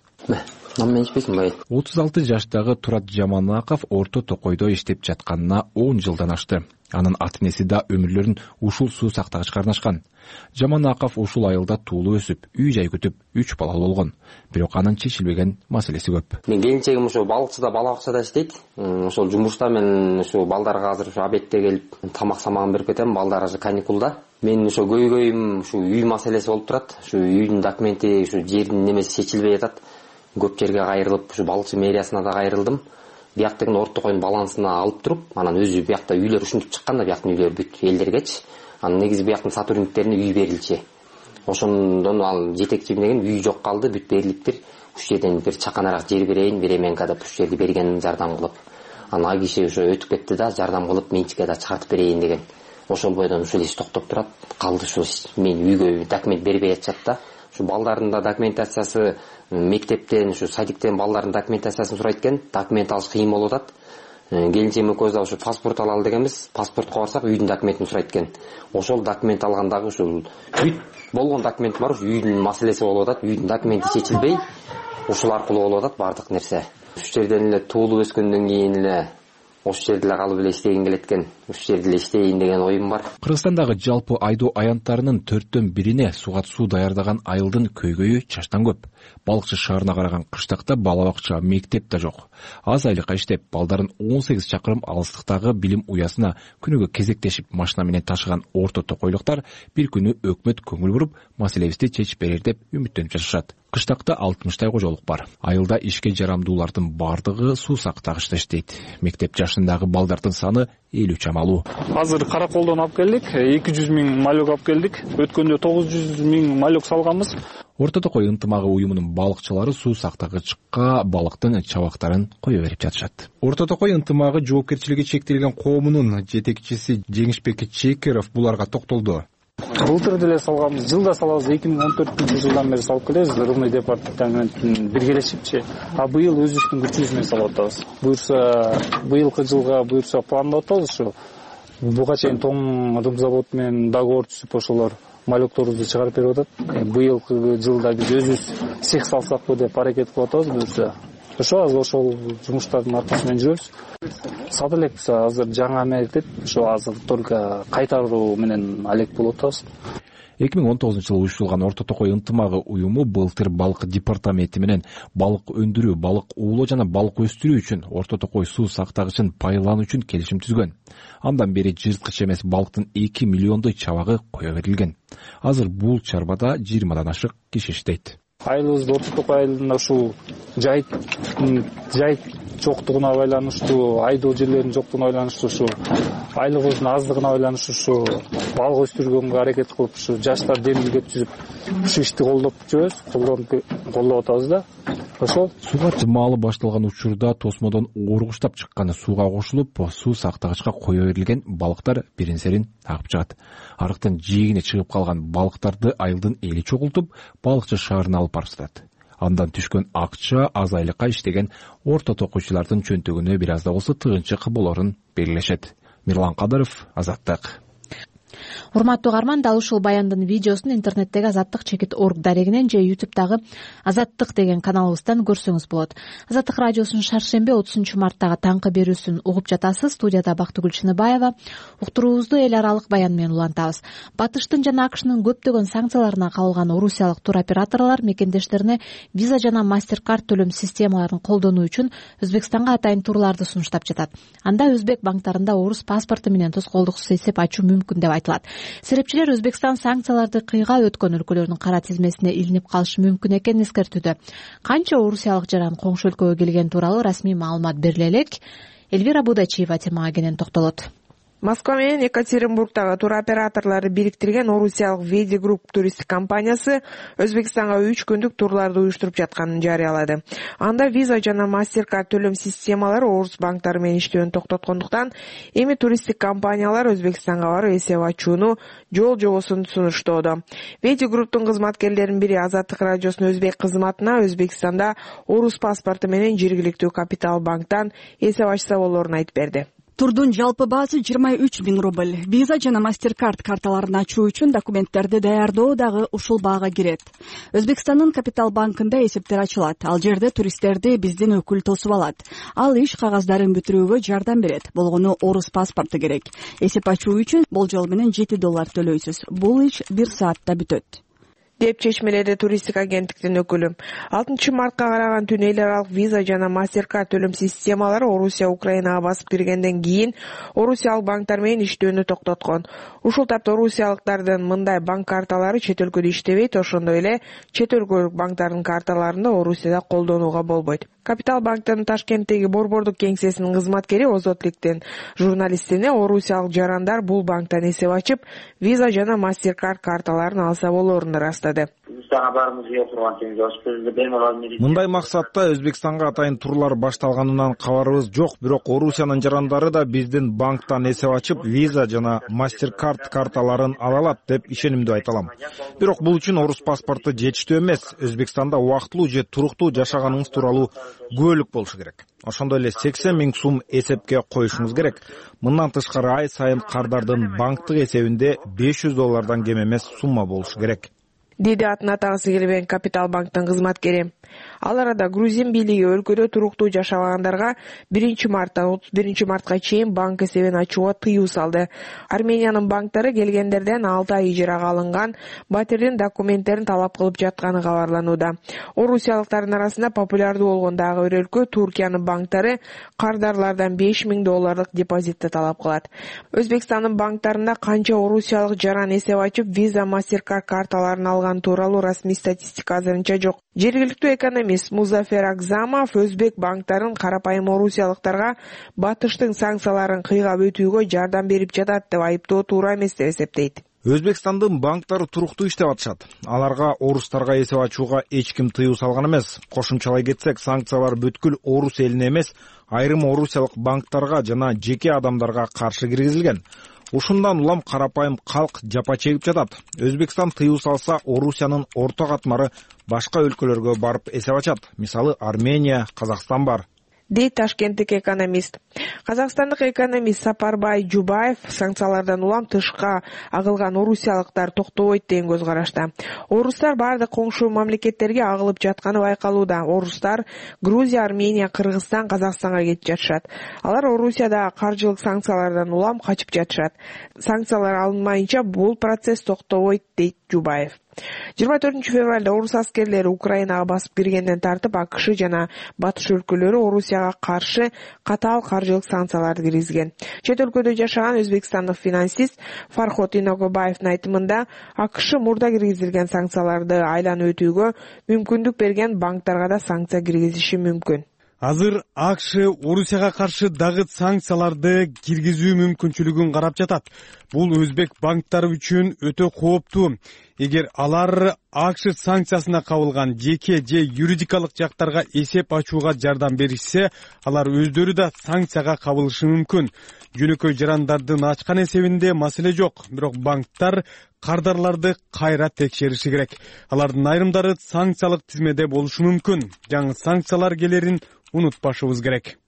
отуз алты жаштагы Турат Жаманаков Орто Токойдо иштеп жатканына он жылдан ашты. Анын ата-энеси да өмүрлөрүн ушул суу сактагычка арнашкан. Жаманаков ушул айылда туулуу өсүп, үй жай күтүп, үч балалуу болгон. Бирок анын чечилбеген маселеси көп. Мен келинчегим ушул балыкчыда, бала бакчада иштейт. Ошол жумушта мен ушул балдарга азыр ушу обедте келип тамак самагын берип кетем. Балдар азыр каникулда. Мен ошо көйгөйүм ушу үй маселеси болуп турат. Ушу үйдүн документи, ушу жердин немеси чечилбей жатат. Көп жерге кайрылып, ушу балыкчы мэриясына да кайрылдым. Бияктын Орто Токойдун балансына алып туруп, анан өзү биякта үйлөр ушинтип чыккан да, бияктын үйлөрү бүт элдергечи. Анан негизи бияктын сотрудниктерине үй берилчи. Ошондон ал жетекчим деген үй жок калды, бүт берилиптир. Уш жерден бир чаканараак жер берейин, беременка деп уш жерди берген жардам кылып. Анан а киши ошо өтүп кетти да, жардам кылып менчикке да чыгартып берейин деген. Ошол бойдон ушул иш токтоп турат. Калды ушу мен үйгө документ бербей атышат да. Ушу балдардын да документациясы мектептен, ушу садиктен балдардын документациясын сурайт экен. Документ алыш кыйын болуп атат. Келинчегим экөөбүз да ушу паспорт алалы дегенбиз. Паспортко барсак үйдүн документин сурайт экен. Ошол документ алгандагы ушул бүт болгон документ бар, ушу үйдүн маселеси болуп атат. Үйдүн документи чечилбей, ушул аркылуу болуп атат бардык нерсе. Уш жерден эле туулуп өскөндөн кийин эле ош жерде эле калып эле иштегим келет экен. Уш жерде эле иштейин деген оюм бар. Кыргызстандагы жалпы айдоо аянттарынын төрттөн бирине суга суу даярдаган айылдын көйгөйү чачтан көп. Балыкчы шаарына караган кыштакта бала бакча, мектеп да жок. Аз айлыкка иштеп, балдарын он сегиз чакырым алыстыктагы билим уясына күнүгө кезектешип машина менен ташыган Орто Токойлуктар бир күнү өкмөт көңүл буруп, маселебизди чечип берер деп үмүттөнүп жашашат. Кыштакта алтымыштай кожолук бар. Айылда ишке жарамдуулардын бардыгы суу сактагычта иштейт. Мектеп жашындагы балдардын саны элүү чамалуу. Азыр Караколдон алып келдик, эки жүз миң малек алып келдик. Өткөндө тогуз жүз миң малек салганбыз. Орто Токой ынтымагы уюмунун балыкчылары суу сактагычка балыктын чабактарын кое берип жатышат. Орто Токой ынтымагы жоопкерчилиги чектелген коомунун жетекчиси Жеңишбек Чекеров буларга токтолду. Былтыр деле салганбыз, жылда салабыз, эки миң он төртүнчү жылдан бери салып келебиз, рыбный департаментин биргелешипчи. А быйыл өзүбүздүн күчүбүз менен салып атабыз. Буюрса, быйылкы жылга буюрса пландап атабыз ушу. Буга чейин Том рыбзавод менен договор түзүп ошолор малекторубузду чыгарып берип атат. Быйылкы жылда биз өзүбүз цех салсакпы деп аракет кылып атабыз буюрса. Ошо азыр ошол жумуштардын аркасы менен жүрөбүз. Сат элекпиз, азыр жаңы мектеп, ошо азыр только кайтаруу менен алек болуп атабыз. эки миң он тогузунчу жылы уюштурулган Орто Токой ынтымагы уюму былтыр балык департаменти менен балык өндүрүү, балык уулоо жана балык өстүрүү үчүн Орто Токой суу сактагычын пайдалануу үчүн келишим түзгөн. Андан бери жырткыч эмес балыктын эки миллиондой чабагы кое берилген. Азыр бул чарбада жыйырмадан ашык киши иштейт. Айылыбызда Орто Токой айылында ушул жайыт жайыт жоктугуна байланыштуу, айдоо жерлеринин жоктугуна байланыштуу, ушу айлыгыбыздын аздыгына байланыштуу ушу балык өстүргөнгө аракет кылып, ушу жаштар демилге түзүп, ушу ишти колдоп жүрөбүз, колдоп атабыз да. Ошол сууга чымаалы башталган учурда тосмодон оргуштап чыкканы сууга кошулуп, суу сактагычка кое берилген балыктар бирин-серин агып чыгат. Арыктын жээгине чыгып калган балыктарды айылдын эли чогултуп, балыкчы шаарына алып барып сатат. Андан түшкөн акча аз айлыкка иштеген Орто Токойчулардын чөнтөгүнө бир аз да болсо тыгынчык болорун белгилешет. Мирлан Кадыров, Азаттык. урматтуу угарман, дал ушул баяндын видеосун интернеттеги азаттык чекит орг дарегинен же ютубтагы азаттык деген каналыбыздан көрсөңүз болот. Азаттык радиосунун шаршемби отузунчу марттагы таңкы берүүсүн угуп жатасыз. Студияда Бактыгүл Чыныбаева. Уктуруубузду эл аралык баян менен улантабыз. Батыштын жана АКШнын көптөгөн санкцияларына кабылган орусиялык туроператорлор мекендештерине виза жана мастер-карт төлөм системаларын колдонуу үчүн Өзбекстанга атайын турларды сунуштап жатат. Анда өзбек банктарында орус паспорту менен тоскоолдуксуз эсеп ачуу мүмкүн деп айтылат. Серепчилер Өзбекстан санкцияларды кыйга өткөн өлкөлөрдүн кара тизмесине илинип калышы мүмкүн экенин эскертүүдө. Канча орусиялык жаран коңшу өлкөгө келгени тууралуу расмий маалымат бериле элек. Эльвира Будачиева темага кенен токтолот. Москва менен Екатеринбургдагы туроператорлорду бириктирген орусиялык Веди Групп туристтик компаниясы Өзбекстанга үч күндүк турларды уюштуруп жатканын жарыялады. Анда виза жана мастер-карт төлөм системалары орус банктары менен иштөөнү токтоткондуктан эми туристтик компаниялар Өзбекстанга барып эсеп ачууну жол жобосун сунуштоодо. Веди Групптун кызматкерлеринин бири Азаттык радиосунун өзбек кызматына Өзбекстанда орус паспорту менен жергиликтүү Капитал банктан эсеп ачса болоорун айтып берди. Турдун жалпы баасы жыйырма үч миң рубль. Виза жана мастер-карт карталарын ачуу үчүн документтерди даярдоо дагы ушул баага кирет. Өзбекстандын Капитал банкында эсептер ачылат. Ал жерде туристтерди биздин өкүл тосуп алат. Ал иш кагаздарын бүтүрүүгө жардам берет. Болгону орус паспорту керек. Эсеп ачуу үчүн болжол менен жети доллар төлөйсүз. Бул иш бир саатта бүтөт, деп чечмеледи туристтик агенттиктин өкүлү. алтынчы мартка караган түнү эл аралык виза жана мастер-карт төлөм системалары Орусия Украинага басып киргенден кийин орусиялык банктар менен иштөөнү токтоткон. Ушул тапта орусиялыктардын мындай банк карталары чет өлкөдө иштебейт, ошондой эле чет өлкөлүк банктардын карталарын да Орусияда колдонууга болбойт. Капитал банктын Ташкенттеги борбордук кеңсесинин кызматкери Озотликтин журналистине орусиялык жарандар бул банктан эсеп ачып, виза жана мастер-карт карталарын алса болоорун ырастады. Мындай максатта Өзбекстанга атайын турлар башталганынан кабарыбыз жок, бирок Орусиянын жарандары да биздин банктан эсеп ачып, виза жана мастер-карт карталарын ала алат деп ишенимдүү айта алам. Бирок бул үчүн орус паспорту жетиштүү эмес. Өзбекстанда убактылуу же туруктуу жашаганыңыз тууралуу күбөлүк болушу керек. Ошондой эле сексен миң сум эсепке коюшуңуз керек. Мындан тышкары ай сайын кардардын банктык эсебинде беш жүз доллардан кем эмес сумма болушу керек, деди атын атагысы келбеген Капитал банктын кызматкери. Ал арада Грузин бийлиги өлкөдө туруктуу жашагандарга биринчи марттан отуз биринчи мартка чейин банк эсебин ачууга тыюу салды. Армениянын банктары келгендерден алты ай ижарага алынган батирдин документтерин талап кылып жатканы кабарланууда. Орусиялыктардын арасында популярдуу болгон дагы бир өлкө Туркиянын банктары кардарлардан беш миң долларлык депозитти талап кылат. Өзбекстандын банктарында канча орусиялык жаран эсеп ачып, виза, мастер-карт карталарын алган тууралуу расмий статистика азырынча жок. Жергиликтүү экономист Музафер Акзамов өзбек банктарын карапайым орусиялыктарга батыштын санкцияларын кыйгап өтүүгө жардам берип жатат деп айыптоо туура эмес деп эсептейт. Өзбекстандын банктары туруктуу иштеп атышат. Аларга орустарга эсеп ачууга эч ким тыюу салган эмес. Кошумчалай кетсек, санкциялар бүткүл орус элине эмес, айрым орусиялык банктарга жана жеке адамдарга каршы киргизилген. Ушундан улам карапайым калк жапа чегип жатат. Өзбекстан тыюу салса, Орусиянын орто катмары башка өлкөлөргө барып эсеп ачат. Мисалы, Армения, Казакстан бар, дейт ташкенттик экономист. Казакстандык экономист Сапарбай Жубаев санкциялардан улам тышка агылган орусиялыктар токтобойт деген көз карашта. Орустар бардык коңшу мамлекеттерге агылып жатканы байкалууда. Орустар Грузия, Армения, Кыргызстан, Казакстанга кетип жатышат. Алар Орусияда каржылык санкциялардан улам качып жатышат. Санкциялар алынмайынча бул процесс токтобойт, дейт Жубаев. жыйырма төртүнчү февралда орус аскерлери Украинага басып киргенден тартып АКШ жана батыш өлкөлөрү Орусияга каршы катаал каржылык санкцияларды киргизген. Чет өлкөдө жашаган өзбекстандык финансист Фархот Иногобаевдин айтымында АКШ мурда киргизилген санкцияларды айланып өтүүгө мүмкүндүк берген банктарга да санкция киргизиши мүмкүн. Азыр АКШ Орусияга каршы дагы санкцияларды киргизүү мүмкүнчүлүгүн карап жатат. Бул өзбек банктары үчүн өтө кооптуу. Эгер алар АКШ санкциясына кабылган жеке же юридикалык жактарга эсеп ачууга жардам беришсе, алар өздөрү да санкцияга кабылышы мүмкүн. Жөнөкөй жарандардын ачкан эсебинде маселе жок, бирок банктар кардарларды кайра текшериши керек. Алардын айрымдары санкциялык тизмеде болушу мүмкүн. Жаңы санкциялар келерин унутпашыбыз керек.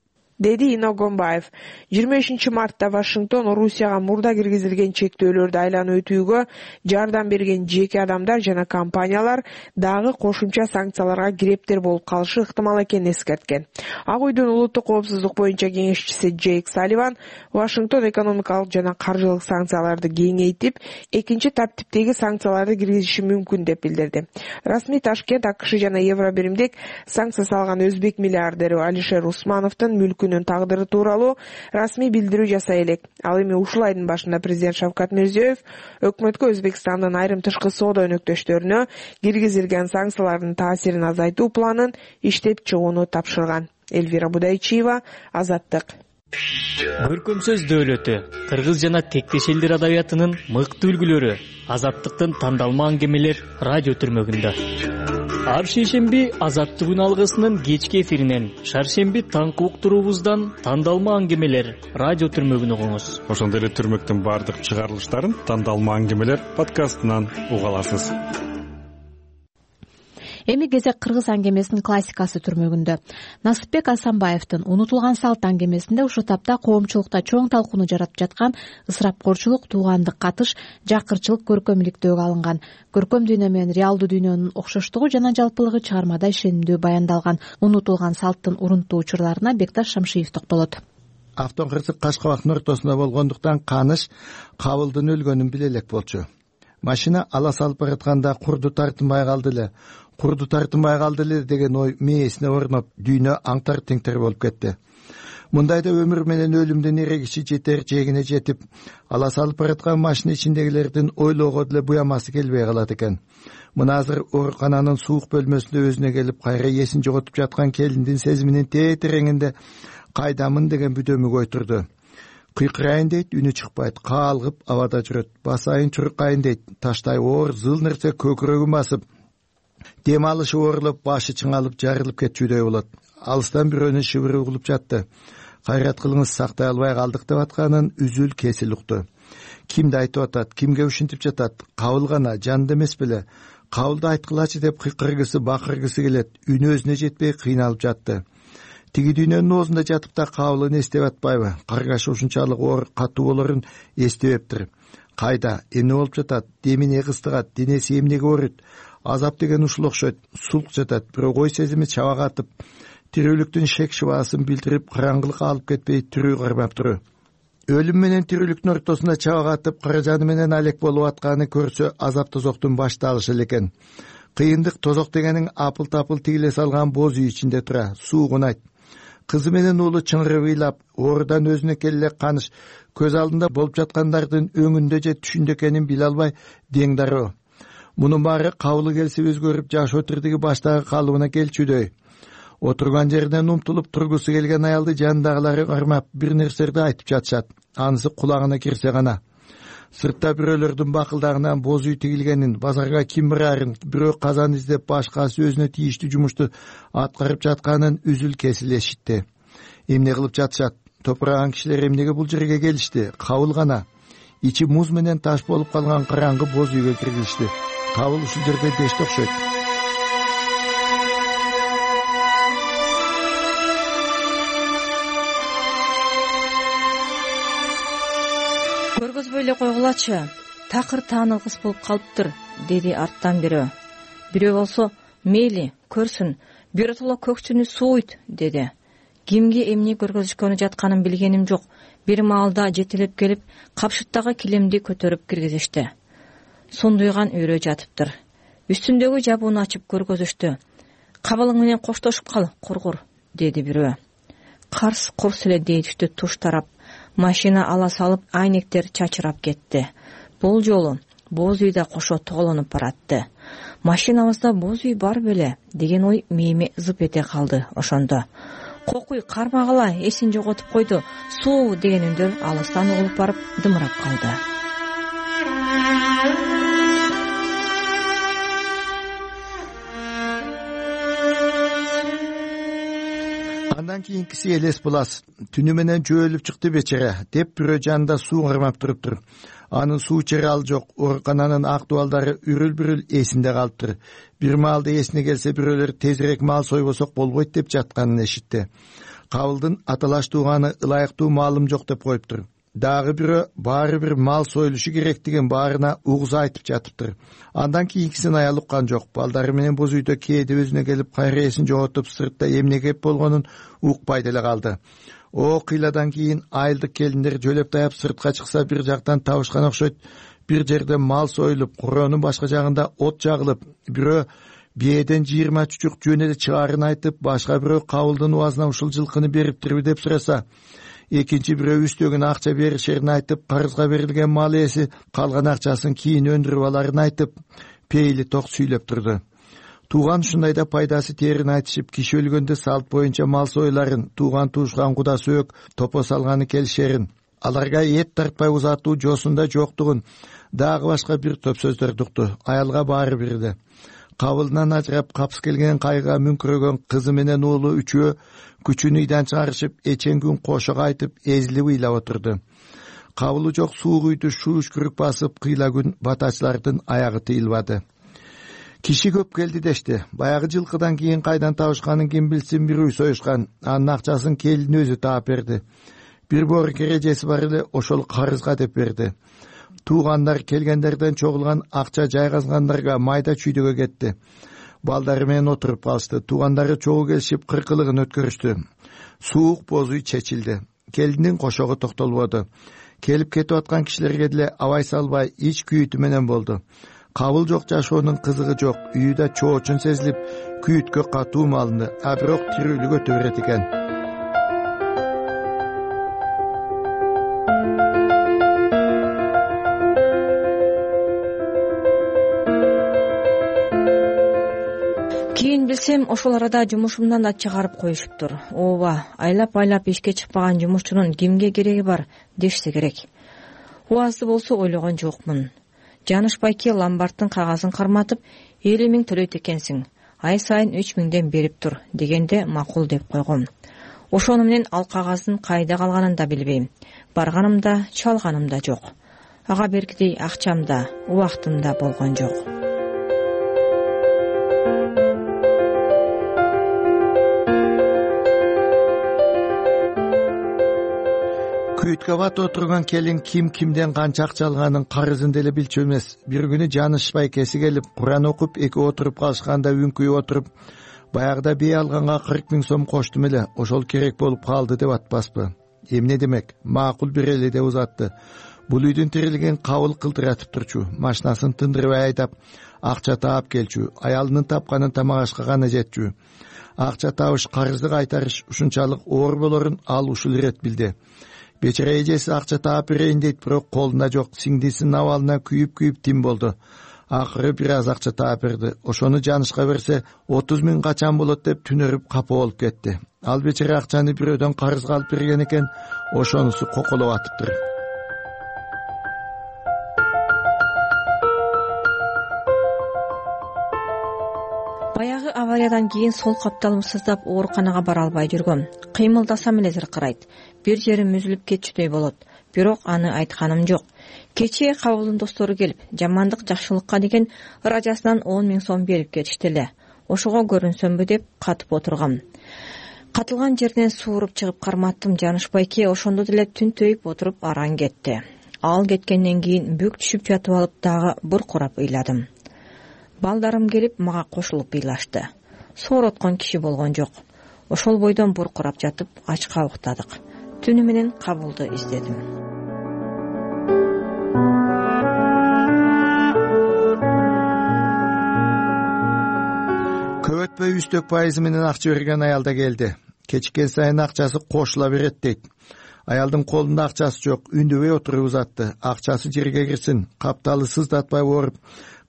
деди Иногомбаев. жыйырма бешинчи мартта Вашингтон Орусияга мурда киргизилген чектөөлөрдү айланып өтүүгө жардам берген жеке адамдар жана компаниялар дагы кошумча санкцияларга кирептер болуп калышы ыктымал экенин эскерткен. Ак үйдүн улуттук коопсуздук боюнча кеңешчиси Джейк Салливан Вашингтон экономикалык жана каржылык санкцияларды кеңейтип, экинчи таптиптеги санкцияларды киргизиши мүмкүн деп билдирди. Расмий Ташкент АКШ жана Евробиримдик санкция салган өзбек миллиардери Алишер Усмановдун мүлкүнүн тагдыры тууралуу расмий билдирүү жасай элек. Ал эми ушул айдын башында президент Шавкат Мирзиёев өкмөткө Өзбекстандын айрым тышкы соода өнөктөштөрүнө киргизилген санкциялардын таасирин азайтуу планын иштеп чыгууну тапшырган. Эльвира Будайчиева, Азаттык. Көркөм сөз дөөлөтү, кыргыз жана тектеш элдер адабиятынын мыкты үлгүлөрү, Азаттыктын тандалма аңгемелер радио түрмөгүндө. Ар шейшемби Азаттык алгысынын кечки эфиринен, шаршемби таңкы уктуруубуздан тандалма аңгемелер радио түрмөгүн угуңуз. Ошондой эле түрмөктүн бардык чыгарылыштарын тандалма аңгемелер подкастынан уга аласыз. Эми кезек кыргыз аңгемесинин классикасы түрмөгүндө. Насыпбек Асанбаевдин Унутулган салт аңгемесинде ушул тапта коомчулукта чоң талкууну жаратып жаткан ысырапкорчулук, туугандык катыш, жакырчылык көркөмүлүктөөгө алынган. Көркөм дүйнө менен реалдуу дүйнөнүн окшоштугу жана жалпылыгы чыгармада ишенимдүү баяндалган. Унутулган салттын урунттуу учурларына Бекташ Шамшиев токтолот. Автон кырсык Кашкабактын ортосунда болгондуктан Каныш Кабылдын өлгөнүн биле элек болчу. Машина ала салып баратканда курду тартынбай калды эле. Курду тартынбай калды эле деген ой мээсине орноп, дүйнө аңтар теңтер болуп кетти. Мындайда өмүр менен өлүмдүн эрегиши жетер жегине жетип, ала салып бараткан машина ичиндегилердин ойлоого деле буямасы келбей калат экен. Мына азыр оорукананын суук бөлмөсүндө өзүнө келип, кайра эсин жоготуп жаткан келиндин сезиминин тээтереңинде кайдамын деген бүдөмүк отурду. Кыйкырайын дейт, үнү чыкпайт, каалгып абада жүрөт. Басайын чуркайын дейт, таштай оор зыл нерсе көкүрөгүн басып, дем алышы оорулуп, башы чыңалып, жарылып кетчүдөй болот. Алыстан бирөөнүн шыбыры угулуп жатты. Кайрат кылыңыз, сактай албай калдык деп атканын үзүл кесил укту. Кимди айтып атат, кимге ушинтип жатат? Кабыл гана, жанды эмес беле. Кабылды айткылачы деп кыйкыргысы, бакыргысы келет. Үнү өзүнө жетпей кыйналып жатты. Тиги дүйнөнүн оозунда жатып да кабылын эстеп атпайбы? Каргашы ушунчалык оор, катуу болорун эстебептир. Кайда, эмне болуп жатат? Демине кыстыгат, денеси эмнеге ооруйт? Азап деген ушул окшойт. Сулк жатат, бирок ой сезими чабагатып, тирүүлүктүн шек шыбаасын билдирип, караңгылыкка алып кетпей тирүү кармап туруу. Өлүм менен тирүүлүктүн ортосунда чабагатып, каражаны менен алек болуп атканы көрсө, азап тозоктун башталышы эле экен. Кыйындык тозок дегениң апыл-тапыл тигиле салган боз үй ичинде тура, суугунайт. Кызы менен уулу чыңырып ыйлап, оорудан өзүнө келе Каныш көз алдында болуп жаткандардын өңүндө же түшүндө экенин биле албай дең дароо. Мунун баары кабылы келсе өзгөрүп, жаш отурдуги баштагы калыбына келчүдөй. Отурган жеринен умтулуп тургусу келген аялды жанындагылары кармап бир нерселерди айтып жатышат. Анысы кулагына кирсе гана. Сыртта бирөөлөрдүн бакылдагынан боз үй тигилгенин, базарга ким барарын, бирөө казан издеп, башкасы өзүнө тийиштүү жумушту аткарып жатканын үзүл кесил эшитти. Эмне кылып жатышат? Топураган кишилер эмнеге бул жерге келишти? Кабыл гана. Ичи муз менен таш болуп калган караңгы боз үйгө киргизишти. Кабыл ушул жерде дешти окшойт. Көргөзбөй эле койгулачы, такыр тааны кыз болуп калыптыр, деди арттан бирөө. Бирөө болсо, мейли, көрсүн, биротоло көкчүнү сууйт, деди. Кимге эмне көргөзүшкөнү жатканын билгеним жок. Бир маалда жетелеп келип, капшыттагы килемди көтөрүп киргизишти. Сондуйган өрө жатыптыр. Үстүндөгү жабууну ачып көргөзүштү. Кабылың менен коштошуп кал, кургур, деди бирөө. Карс курс эле дейишти туш тарап. Машина ала салып, айнектер чачырап кетти. Бул жолу боз үй да кошо тоголонуп баратты. Машинабызда боз үй бар беле деген ой мээме зып эте калды ошондо. Кокуй кармагыла, эсин жоготуп койду. Суу деген үндөр алыстан угулуп барып дымырап калды. Андан кийинкиси элес булас. Түнү менен жөөлүп чыкты бечара, деп бирөө жанында суу кармап туруптур. Анын суу ичери ал жок. Оорукананын ак дубалдары үрүл-бүрүл эсинде калыптыр. Бир маалда эсине келсе, бирөөлөр тезирээк мал сойбосок болбойт деп жатканын эшитти. кабылдын аталаш тууганы ылайыктуу маалым жок деп коюптур. Дагы бирөө баары бир мал союлушу керек деген баарына угуза айтып жатыптыр. Андан кийинкисин аял уккан жок. Балдары менен боз үйдө кээде өзүнө келип кайрээсин жоготуп сыртта эмне кеп болгонун укпай деле калды. О кыйладан кийин айылдык келиндер жөлөп таяп сыртка чыкса бир жактан табышкан окшойт. Бир жерде мал союлуп, куроонун башка жагында от жагылып, бирөө бээден жыйырма чучук жөн эле чыгарын айтып, башка бирөө кабылдын убазына ушул жылкыны бериптирби деп сураса, экинчи бирөө үстөгүн акча беришерин айтып, карызга берилген мал ээси калган акчасын кийин өндүрүп аларын айтып, пейили ток сүйлөп турду. Тууган ушундайда пайдасы тээрин айтышып, киши өлгөндө салт боюнча мал союларын, тууган туушкан куда сөөк топо салганы келишерин, аларга эт тартпай узатуу жосунда жоктугун, дагы башка бир топ сөздөрдү укту. Аялга баары бирди. Кабылынан ажырап капыс келген кайга мүңкүрөгөн кызы менен уулу үчөө күчүн үйдөн чыгарышып, эчен күн кошо кайтып, эзилип ыйлап отурду. Кабылы жок суук үйдү шууш күрүк басып, кыйла күн батачылардын аягы тыйылбады. Киши көп келди дешти. Баягы жылкыдан кийин кайдан табышканын ким билсин, бир үй союшкан. Анын акчасын келин өзү таап берди. Бир боор кережеси бар эле, ошол карызга деп берди. Туугандар келгендерден чогулган акча жайгазгандарга майда чүйдөгө кетти. Балдары менен отуруп калышты. Туугандары чогуу келишип кыркылыгын өткөрүштү. Суук боз үй чечилди. Келиндин кошогу токтолбоду. Келип кетип аткан кишилерге деле абай салбай ич күйүтү менен болду. Кабыл жок жашоонун кызыгы жок. Үйдө чоочун сезилип, күйүткө катуу малынды, а бирок тирүүлүк өтө берет экен. Кийин билсем, ошол арада жумушумдан да чыгарып коюшуптур. Ооба, айлап-айлап ишке чыкпаган жумушчунун кимге кереги бар дешсе керек. Убазды болсо ойлогон жокмун. Жанышбайке ломбардтын кагазын карматып, элүү миң төлөйт экенсиң. Ай сайын үч миңден берип тур дегенде макул деп койгом. Ошону менен ал кагаздын кайда калганын да билбейм. Барганым да, чалганым да жок. Ага бергидей акчам да, убактым да болгон жок. Күйүткө батып отурган келин ким кимден канча акча алганын карызын деле билчү эмес. Бир күнү Жанышбайкеси келип, Куран окуп, экөө отуруп калышканда үңкүйүп отуруп, баягыда бий алганга кырк миң сом коштум эле, ошол керек болуп калды деп атпаспы? Эмне демек? Макул берели деп узатты. Бул үйдүн тирилген кабыл кылдыратып турчу, машинасын тындырбай айдап, акча таап келчү, аялынын тапканын тамак ашка гана жетчү. Акча табыш, карызды кайтарыш ушунчалык оор болорун ал ушул ирет билди. Бечара эжеси акча таап берейин дейт, бирок колунда жок. Сиңдисинин абалына күйүп-күйүп тим болду. Акыры бир аз акча таап берди. Ошону Жанышка берсе, отуз миң качан болот деп түнөрүп капа болуп кетти. Ал бечара акчаны бирөөдөн карызга алып берген экен, ошонусу коколоп атыптыр. Баягы авариядан кийин сол капталым сыздап ооруканага бара албай жүргөм. Кыймылдасам эле зыркырайт. Бир жерим үзүлүп кетчүдөй болот. Бирок аны айтканым жок. Кечээ кабылдын достору келип, жамандык жакшылыкка деген ыраажасынан он миң сом берип кетишти эле. Ошого көрүнсөмбү деп катып отургам. Катылган жерден сууруп чыгып карматтым. Жанышбайке ошондо деле түнтөйүп отуруп араң кетти. Ал кеткенден кийин бүк түшүп жатып алып дагы буркурап ыйладым. Балдарым келип мага кошулуп ыйлашты. Соороткон киши болгон жок. Ошол бойдон буркурап жатып ачка уктадык. Түнү менен кабылды издедим. Көп өтпөй үстөк пайызы менен акча берген аял да келди. Кечиккен сайын акчасы кошула берет дейт. Аялдын колунда акчасы жок, үндөбөй отуруп узатты. Акчасы жерге кирсин, капталы сыздатпай ооруп,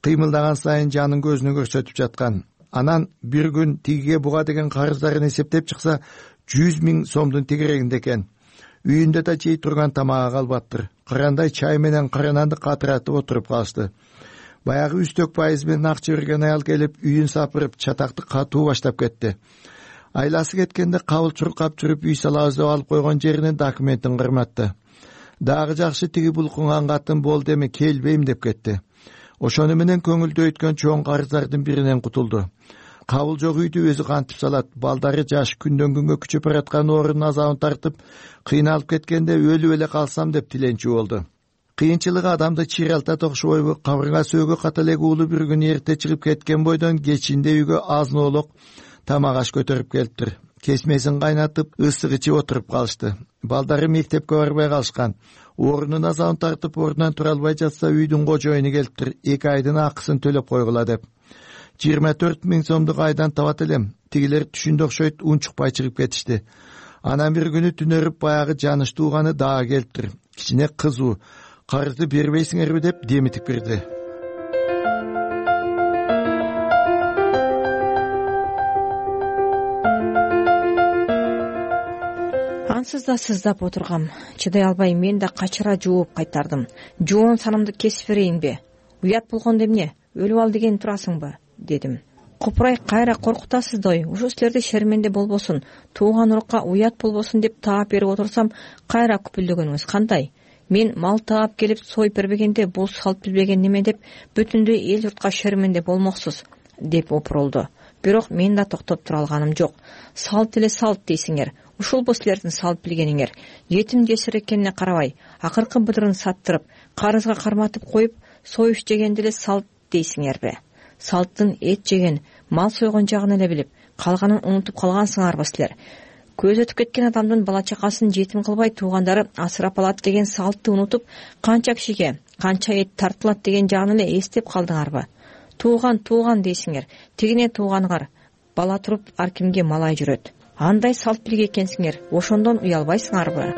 кыймылдаган сайын жанын көзүнө көрсөтүп жаткан. Анан бир күн тигиге буга деген карыздарын эсептеп чыкса, жүз миң сомдун тегерегинде экен. Үйүндө да жей турган тамагы калбаптыр. Кырандай чай менен карананды катыратып отуруп калышты. Баягы үстөк пайыз менен акча берген аял келип, үйүн сапырып, чатакты катуу баштап кетти. Айласы кеткенде кабыл чуркап жүрүп үй салабыз деп алып койгон жеринин документин кырматты. Дагы жакшы тиги булкунган катын болду, эми келбейм деп кетти. Ошону менен көңүлдө өткөн чоң карыздардын биринен кутулду. кабыл жок үйдү өзү кантип салат. Балдары жаш күндөн күнгө күчөп бараткан оорунун азабын тартып кыйналып кеткенде өлүп эле калсам деп тиленчү болду. Кыйынчылыгы адамды чиралтат окшобойбу? Кабырга сөөгө ката элек уулу бир күнү эрте чыгып кеткен бойдон кечинде үйгө азын-оолок тамак аш көтөрүп келиптир. Кесмесин кайнатып, ысык ичип отуруп калышты. Балдары мектепке барбай калышкан. Оорунун азабын тартып ордунан тура албай жатса, үйдүн кожоюну келиптир. Эки айдын акысын төлөп койгула деп. жыйырма төрт миң сомдук айдан табат элем. Тигилер түшүндө окшойт унчукпай чыгып кетишти. Анан бир күнү түнөрүп баягы жаныш тууганы дагы келиптир. Кичине кызуу. Карызды бербейсиңерби деп демитип кирди. Ансыз да сыздап отургам. Чыдай албай мен да качыра жууп кайтардым. Жоон санымды кесип берейинби? Уят болгондо эмне? Өлүп ал деген турасыңбы? Дедим. Купурай кайра коркутасыз дой. Ушу силерде шерменде болбосун, тууган урукка уят болбосун деп таап берип отурсам, кайра күпүлдөгөнүңүз кандай? Мен мал таап келип союп бербегенде бул салт билбеген неме деп бүтүндөй эл журтка шерменде болмоксуз деп опурулду. Бирок мен да токтоп тура алганым жок. Салт эле салт дейсиңер. Ушулбу силердин салт билгениңер. Жетим жесир экенине карабай, акыркы быдырын саттырып, карызга карматып коюп, союш жегенди эле салт дейсиңерби? Салттын эт жеген, мал сойгон жагын эле билип, калганын унутуп калгансыңарбы силер? Көз өтүп кеткен адамдын бала чакасын жетим кылбай туугандары асырап алат деген салтты унутуп, канча кишиге, канча эт тартылат деген жагын эле эстеп калдыңарбы? Тууган тууган дейсиңер, тигине тууганыгар. Бала туруп ар кимге малай жүрөт. Андай салт билге экенсиңер, ошондон уялбайсыңарбы?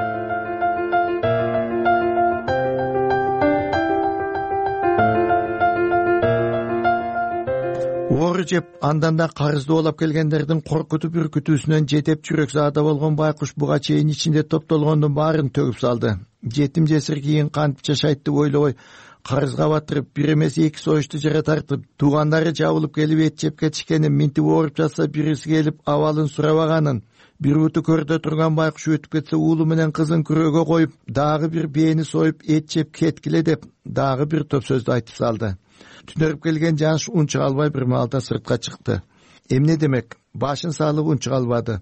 Оору жеп, андан да карызды оолап келгендердин коркутуп үркүтүүсүнөн жетеп жүрөк заада болгон байкуш буга чейин ичинде топтолгондун баарын төгүп салды. Жетим жесир кийин кантип жашайт деп ойлобой, карызга батырып, бир эмес эки союшту жара тартып, туугандары жабылып келип эт жеп кетишкенин, минтип ооруп жатса бириси келип абалын сурабаганын, бир буту көрдө турган байкуш өтүп кетсе уулу менен кызын күрөөгө коюп, дагы бир бээни союп эт жеп кеткиле деп дагы бир топ сөздү айтып салды. Түнөрүп келген жаныш унчук албай бир маалда сыртка чыкты. Эмне демек? Башын салып унчук албады.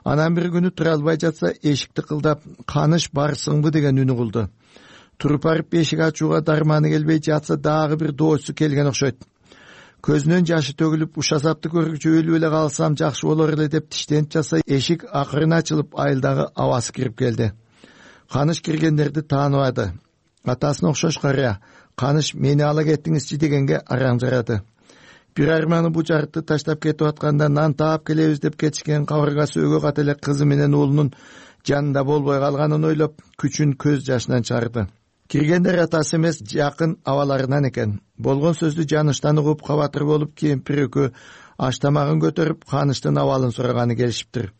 Анан бир күнү тура албай жатса, эшикти кылдап, "Каныш барсыңбы?" деген үнү кылды. Туруп барып эшик ачууга дарманы келбей жатса, дагы бир доосу келген окшойт. Көзүнөн жашы төгүлүп, ушасапты көргүчө өлүп эле калсам жакшы болор эле деп тиштенип жатса, эшик акырын ачылып, айылдагы абасы кирип келди. Каныш киргендерди тааныбады. Атасына окшош карыя. "Каныш, мени ала кеттиңизчи" дегенге араң жарады. Бир арманы бу жарытты таштап кетип атканда нан таап келебиз деп кетишкен кабырга сөөгө ката эле кызы менен уулунун жанында болбой калганын ойлоп, күчүн көз жашынан чыгарды. Киргендер атасы эмес, жакын абаларынан экен. Болгон сөздү жаныштан угуп, кабатыр болуп, кемпир экөө аш тамагын көтөрүп, Каныштын абалын сураганы келишиптир.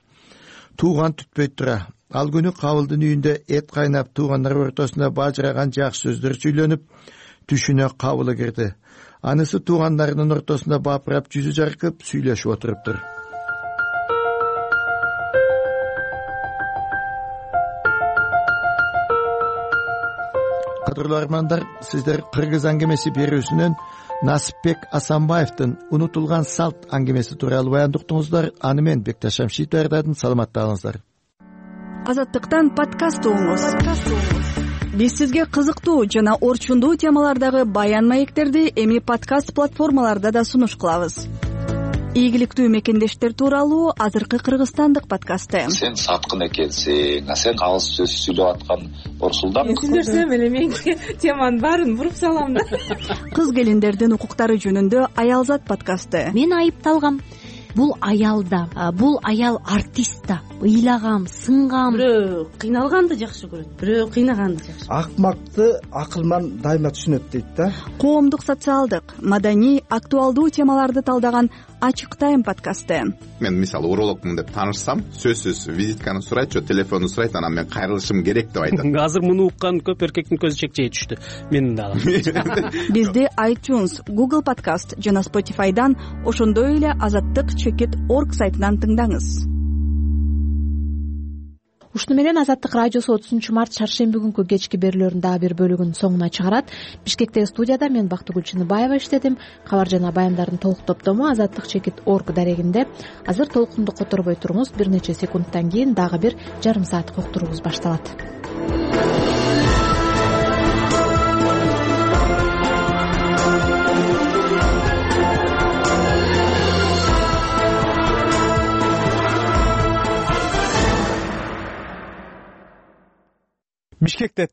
Тууган түтпөйт тура. Ал күнү Кабылдын үйүндө эт кайнап, туугандар ортосунда бажыраган жакшы сөздөр сүйлөнүп, түшүнө Кабылы кирди. Анысы туугандарынын ортосунда бапырап, жүзү жаркып, сүйлөшүп отуруптур. Кадырлуу армандар, сиздер Кыргыз аңгемеси берүүсүнөн Насипбек Асанбаевдин "Унутулган салт" аңгемеси тууралуу баяндоо уктуңуздар. Аны мен Бекташ Шамшиев даярдадым. Саламатталыңыздар. Азаттыктан подкаст угуңуз. Биз сизге кызыктуу жана орчундуу темалардагы баян маектерди эми подкаст платформаларда да сунуш кылабыз. Ийгиликтүү мекендештер тууралуу азыркы кыргызстандык подкасты. Сен саткын экенсиң, а сен агыз сөз сүйлөп аткан Орсулдан. Сүйлөсөм эле мен теманын баарын буруп салам да. Кыз келиндердин укуктары жөнүндө Аялзат подкасты. Мен айыпталгам. Бул аял да, бул аял артист да. Ыйлагам, сынгам. Бирөө кыйналганды жакшы көрөт, бирөө кыйнаганды жакшы. Акмакты акылман дайыма түшүнөт дейт да. Коомдук, социалдык, маданий, актуалдуу темаларды талдаган Ачык тайм подкасты. Мен мисалы урологмун деп таанышсам, сөзсүз визитканы сурайт, же телефонду сурайт, анан мен кайрылышым керек деп айтат. Азыр муну уккан көп эркектин көзү чекчей түштү. Менин дагы. Бизди iTunes, Google Podcast жана Spotify'дан, ошондой эле азаттык чекит точка орг сайтынан тыңдаңыз. ушуну менен Азаттык радиосу отузунчу март шаршемби күнкү кечки берүүлөрүнүн дагы бир бөлүгүн соңуна чыгарат. Бишкектеги студияда мен Бактыгүл Чыныбаева иштедим. Кабар жана баяндардын толук топтому азаттык чекит орг дарегинде. Азыр толкунду которбой туруңуз, бир нече секундтан кийин дагы бир жарым сааттык уктуруубуз башталат. Бишкекте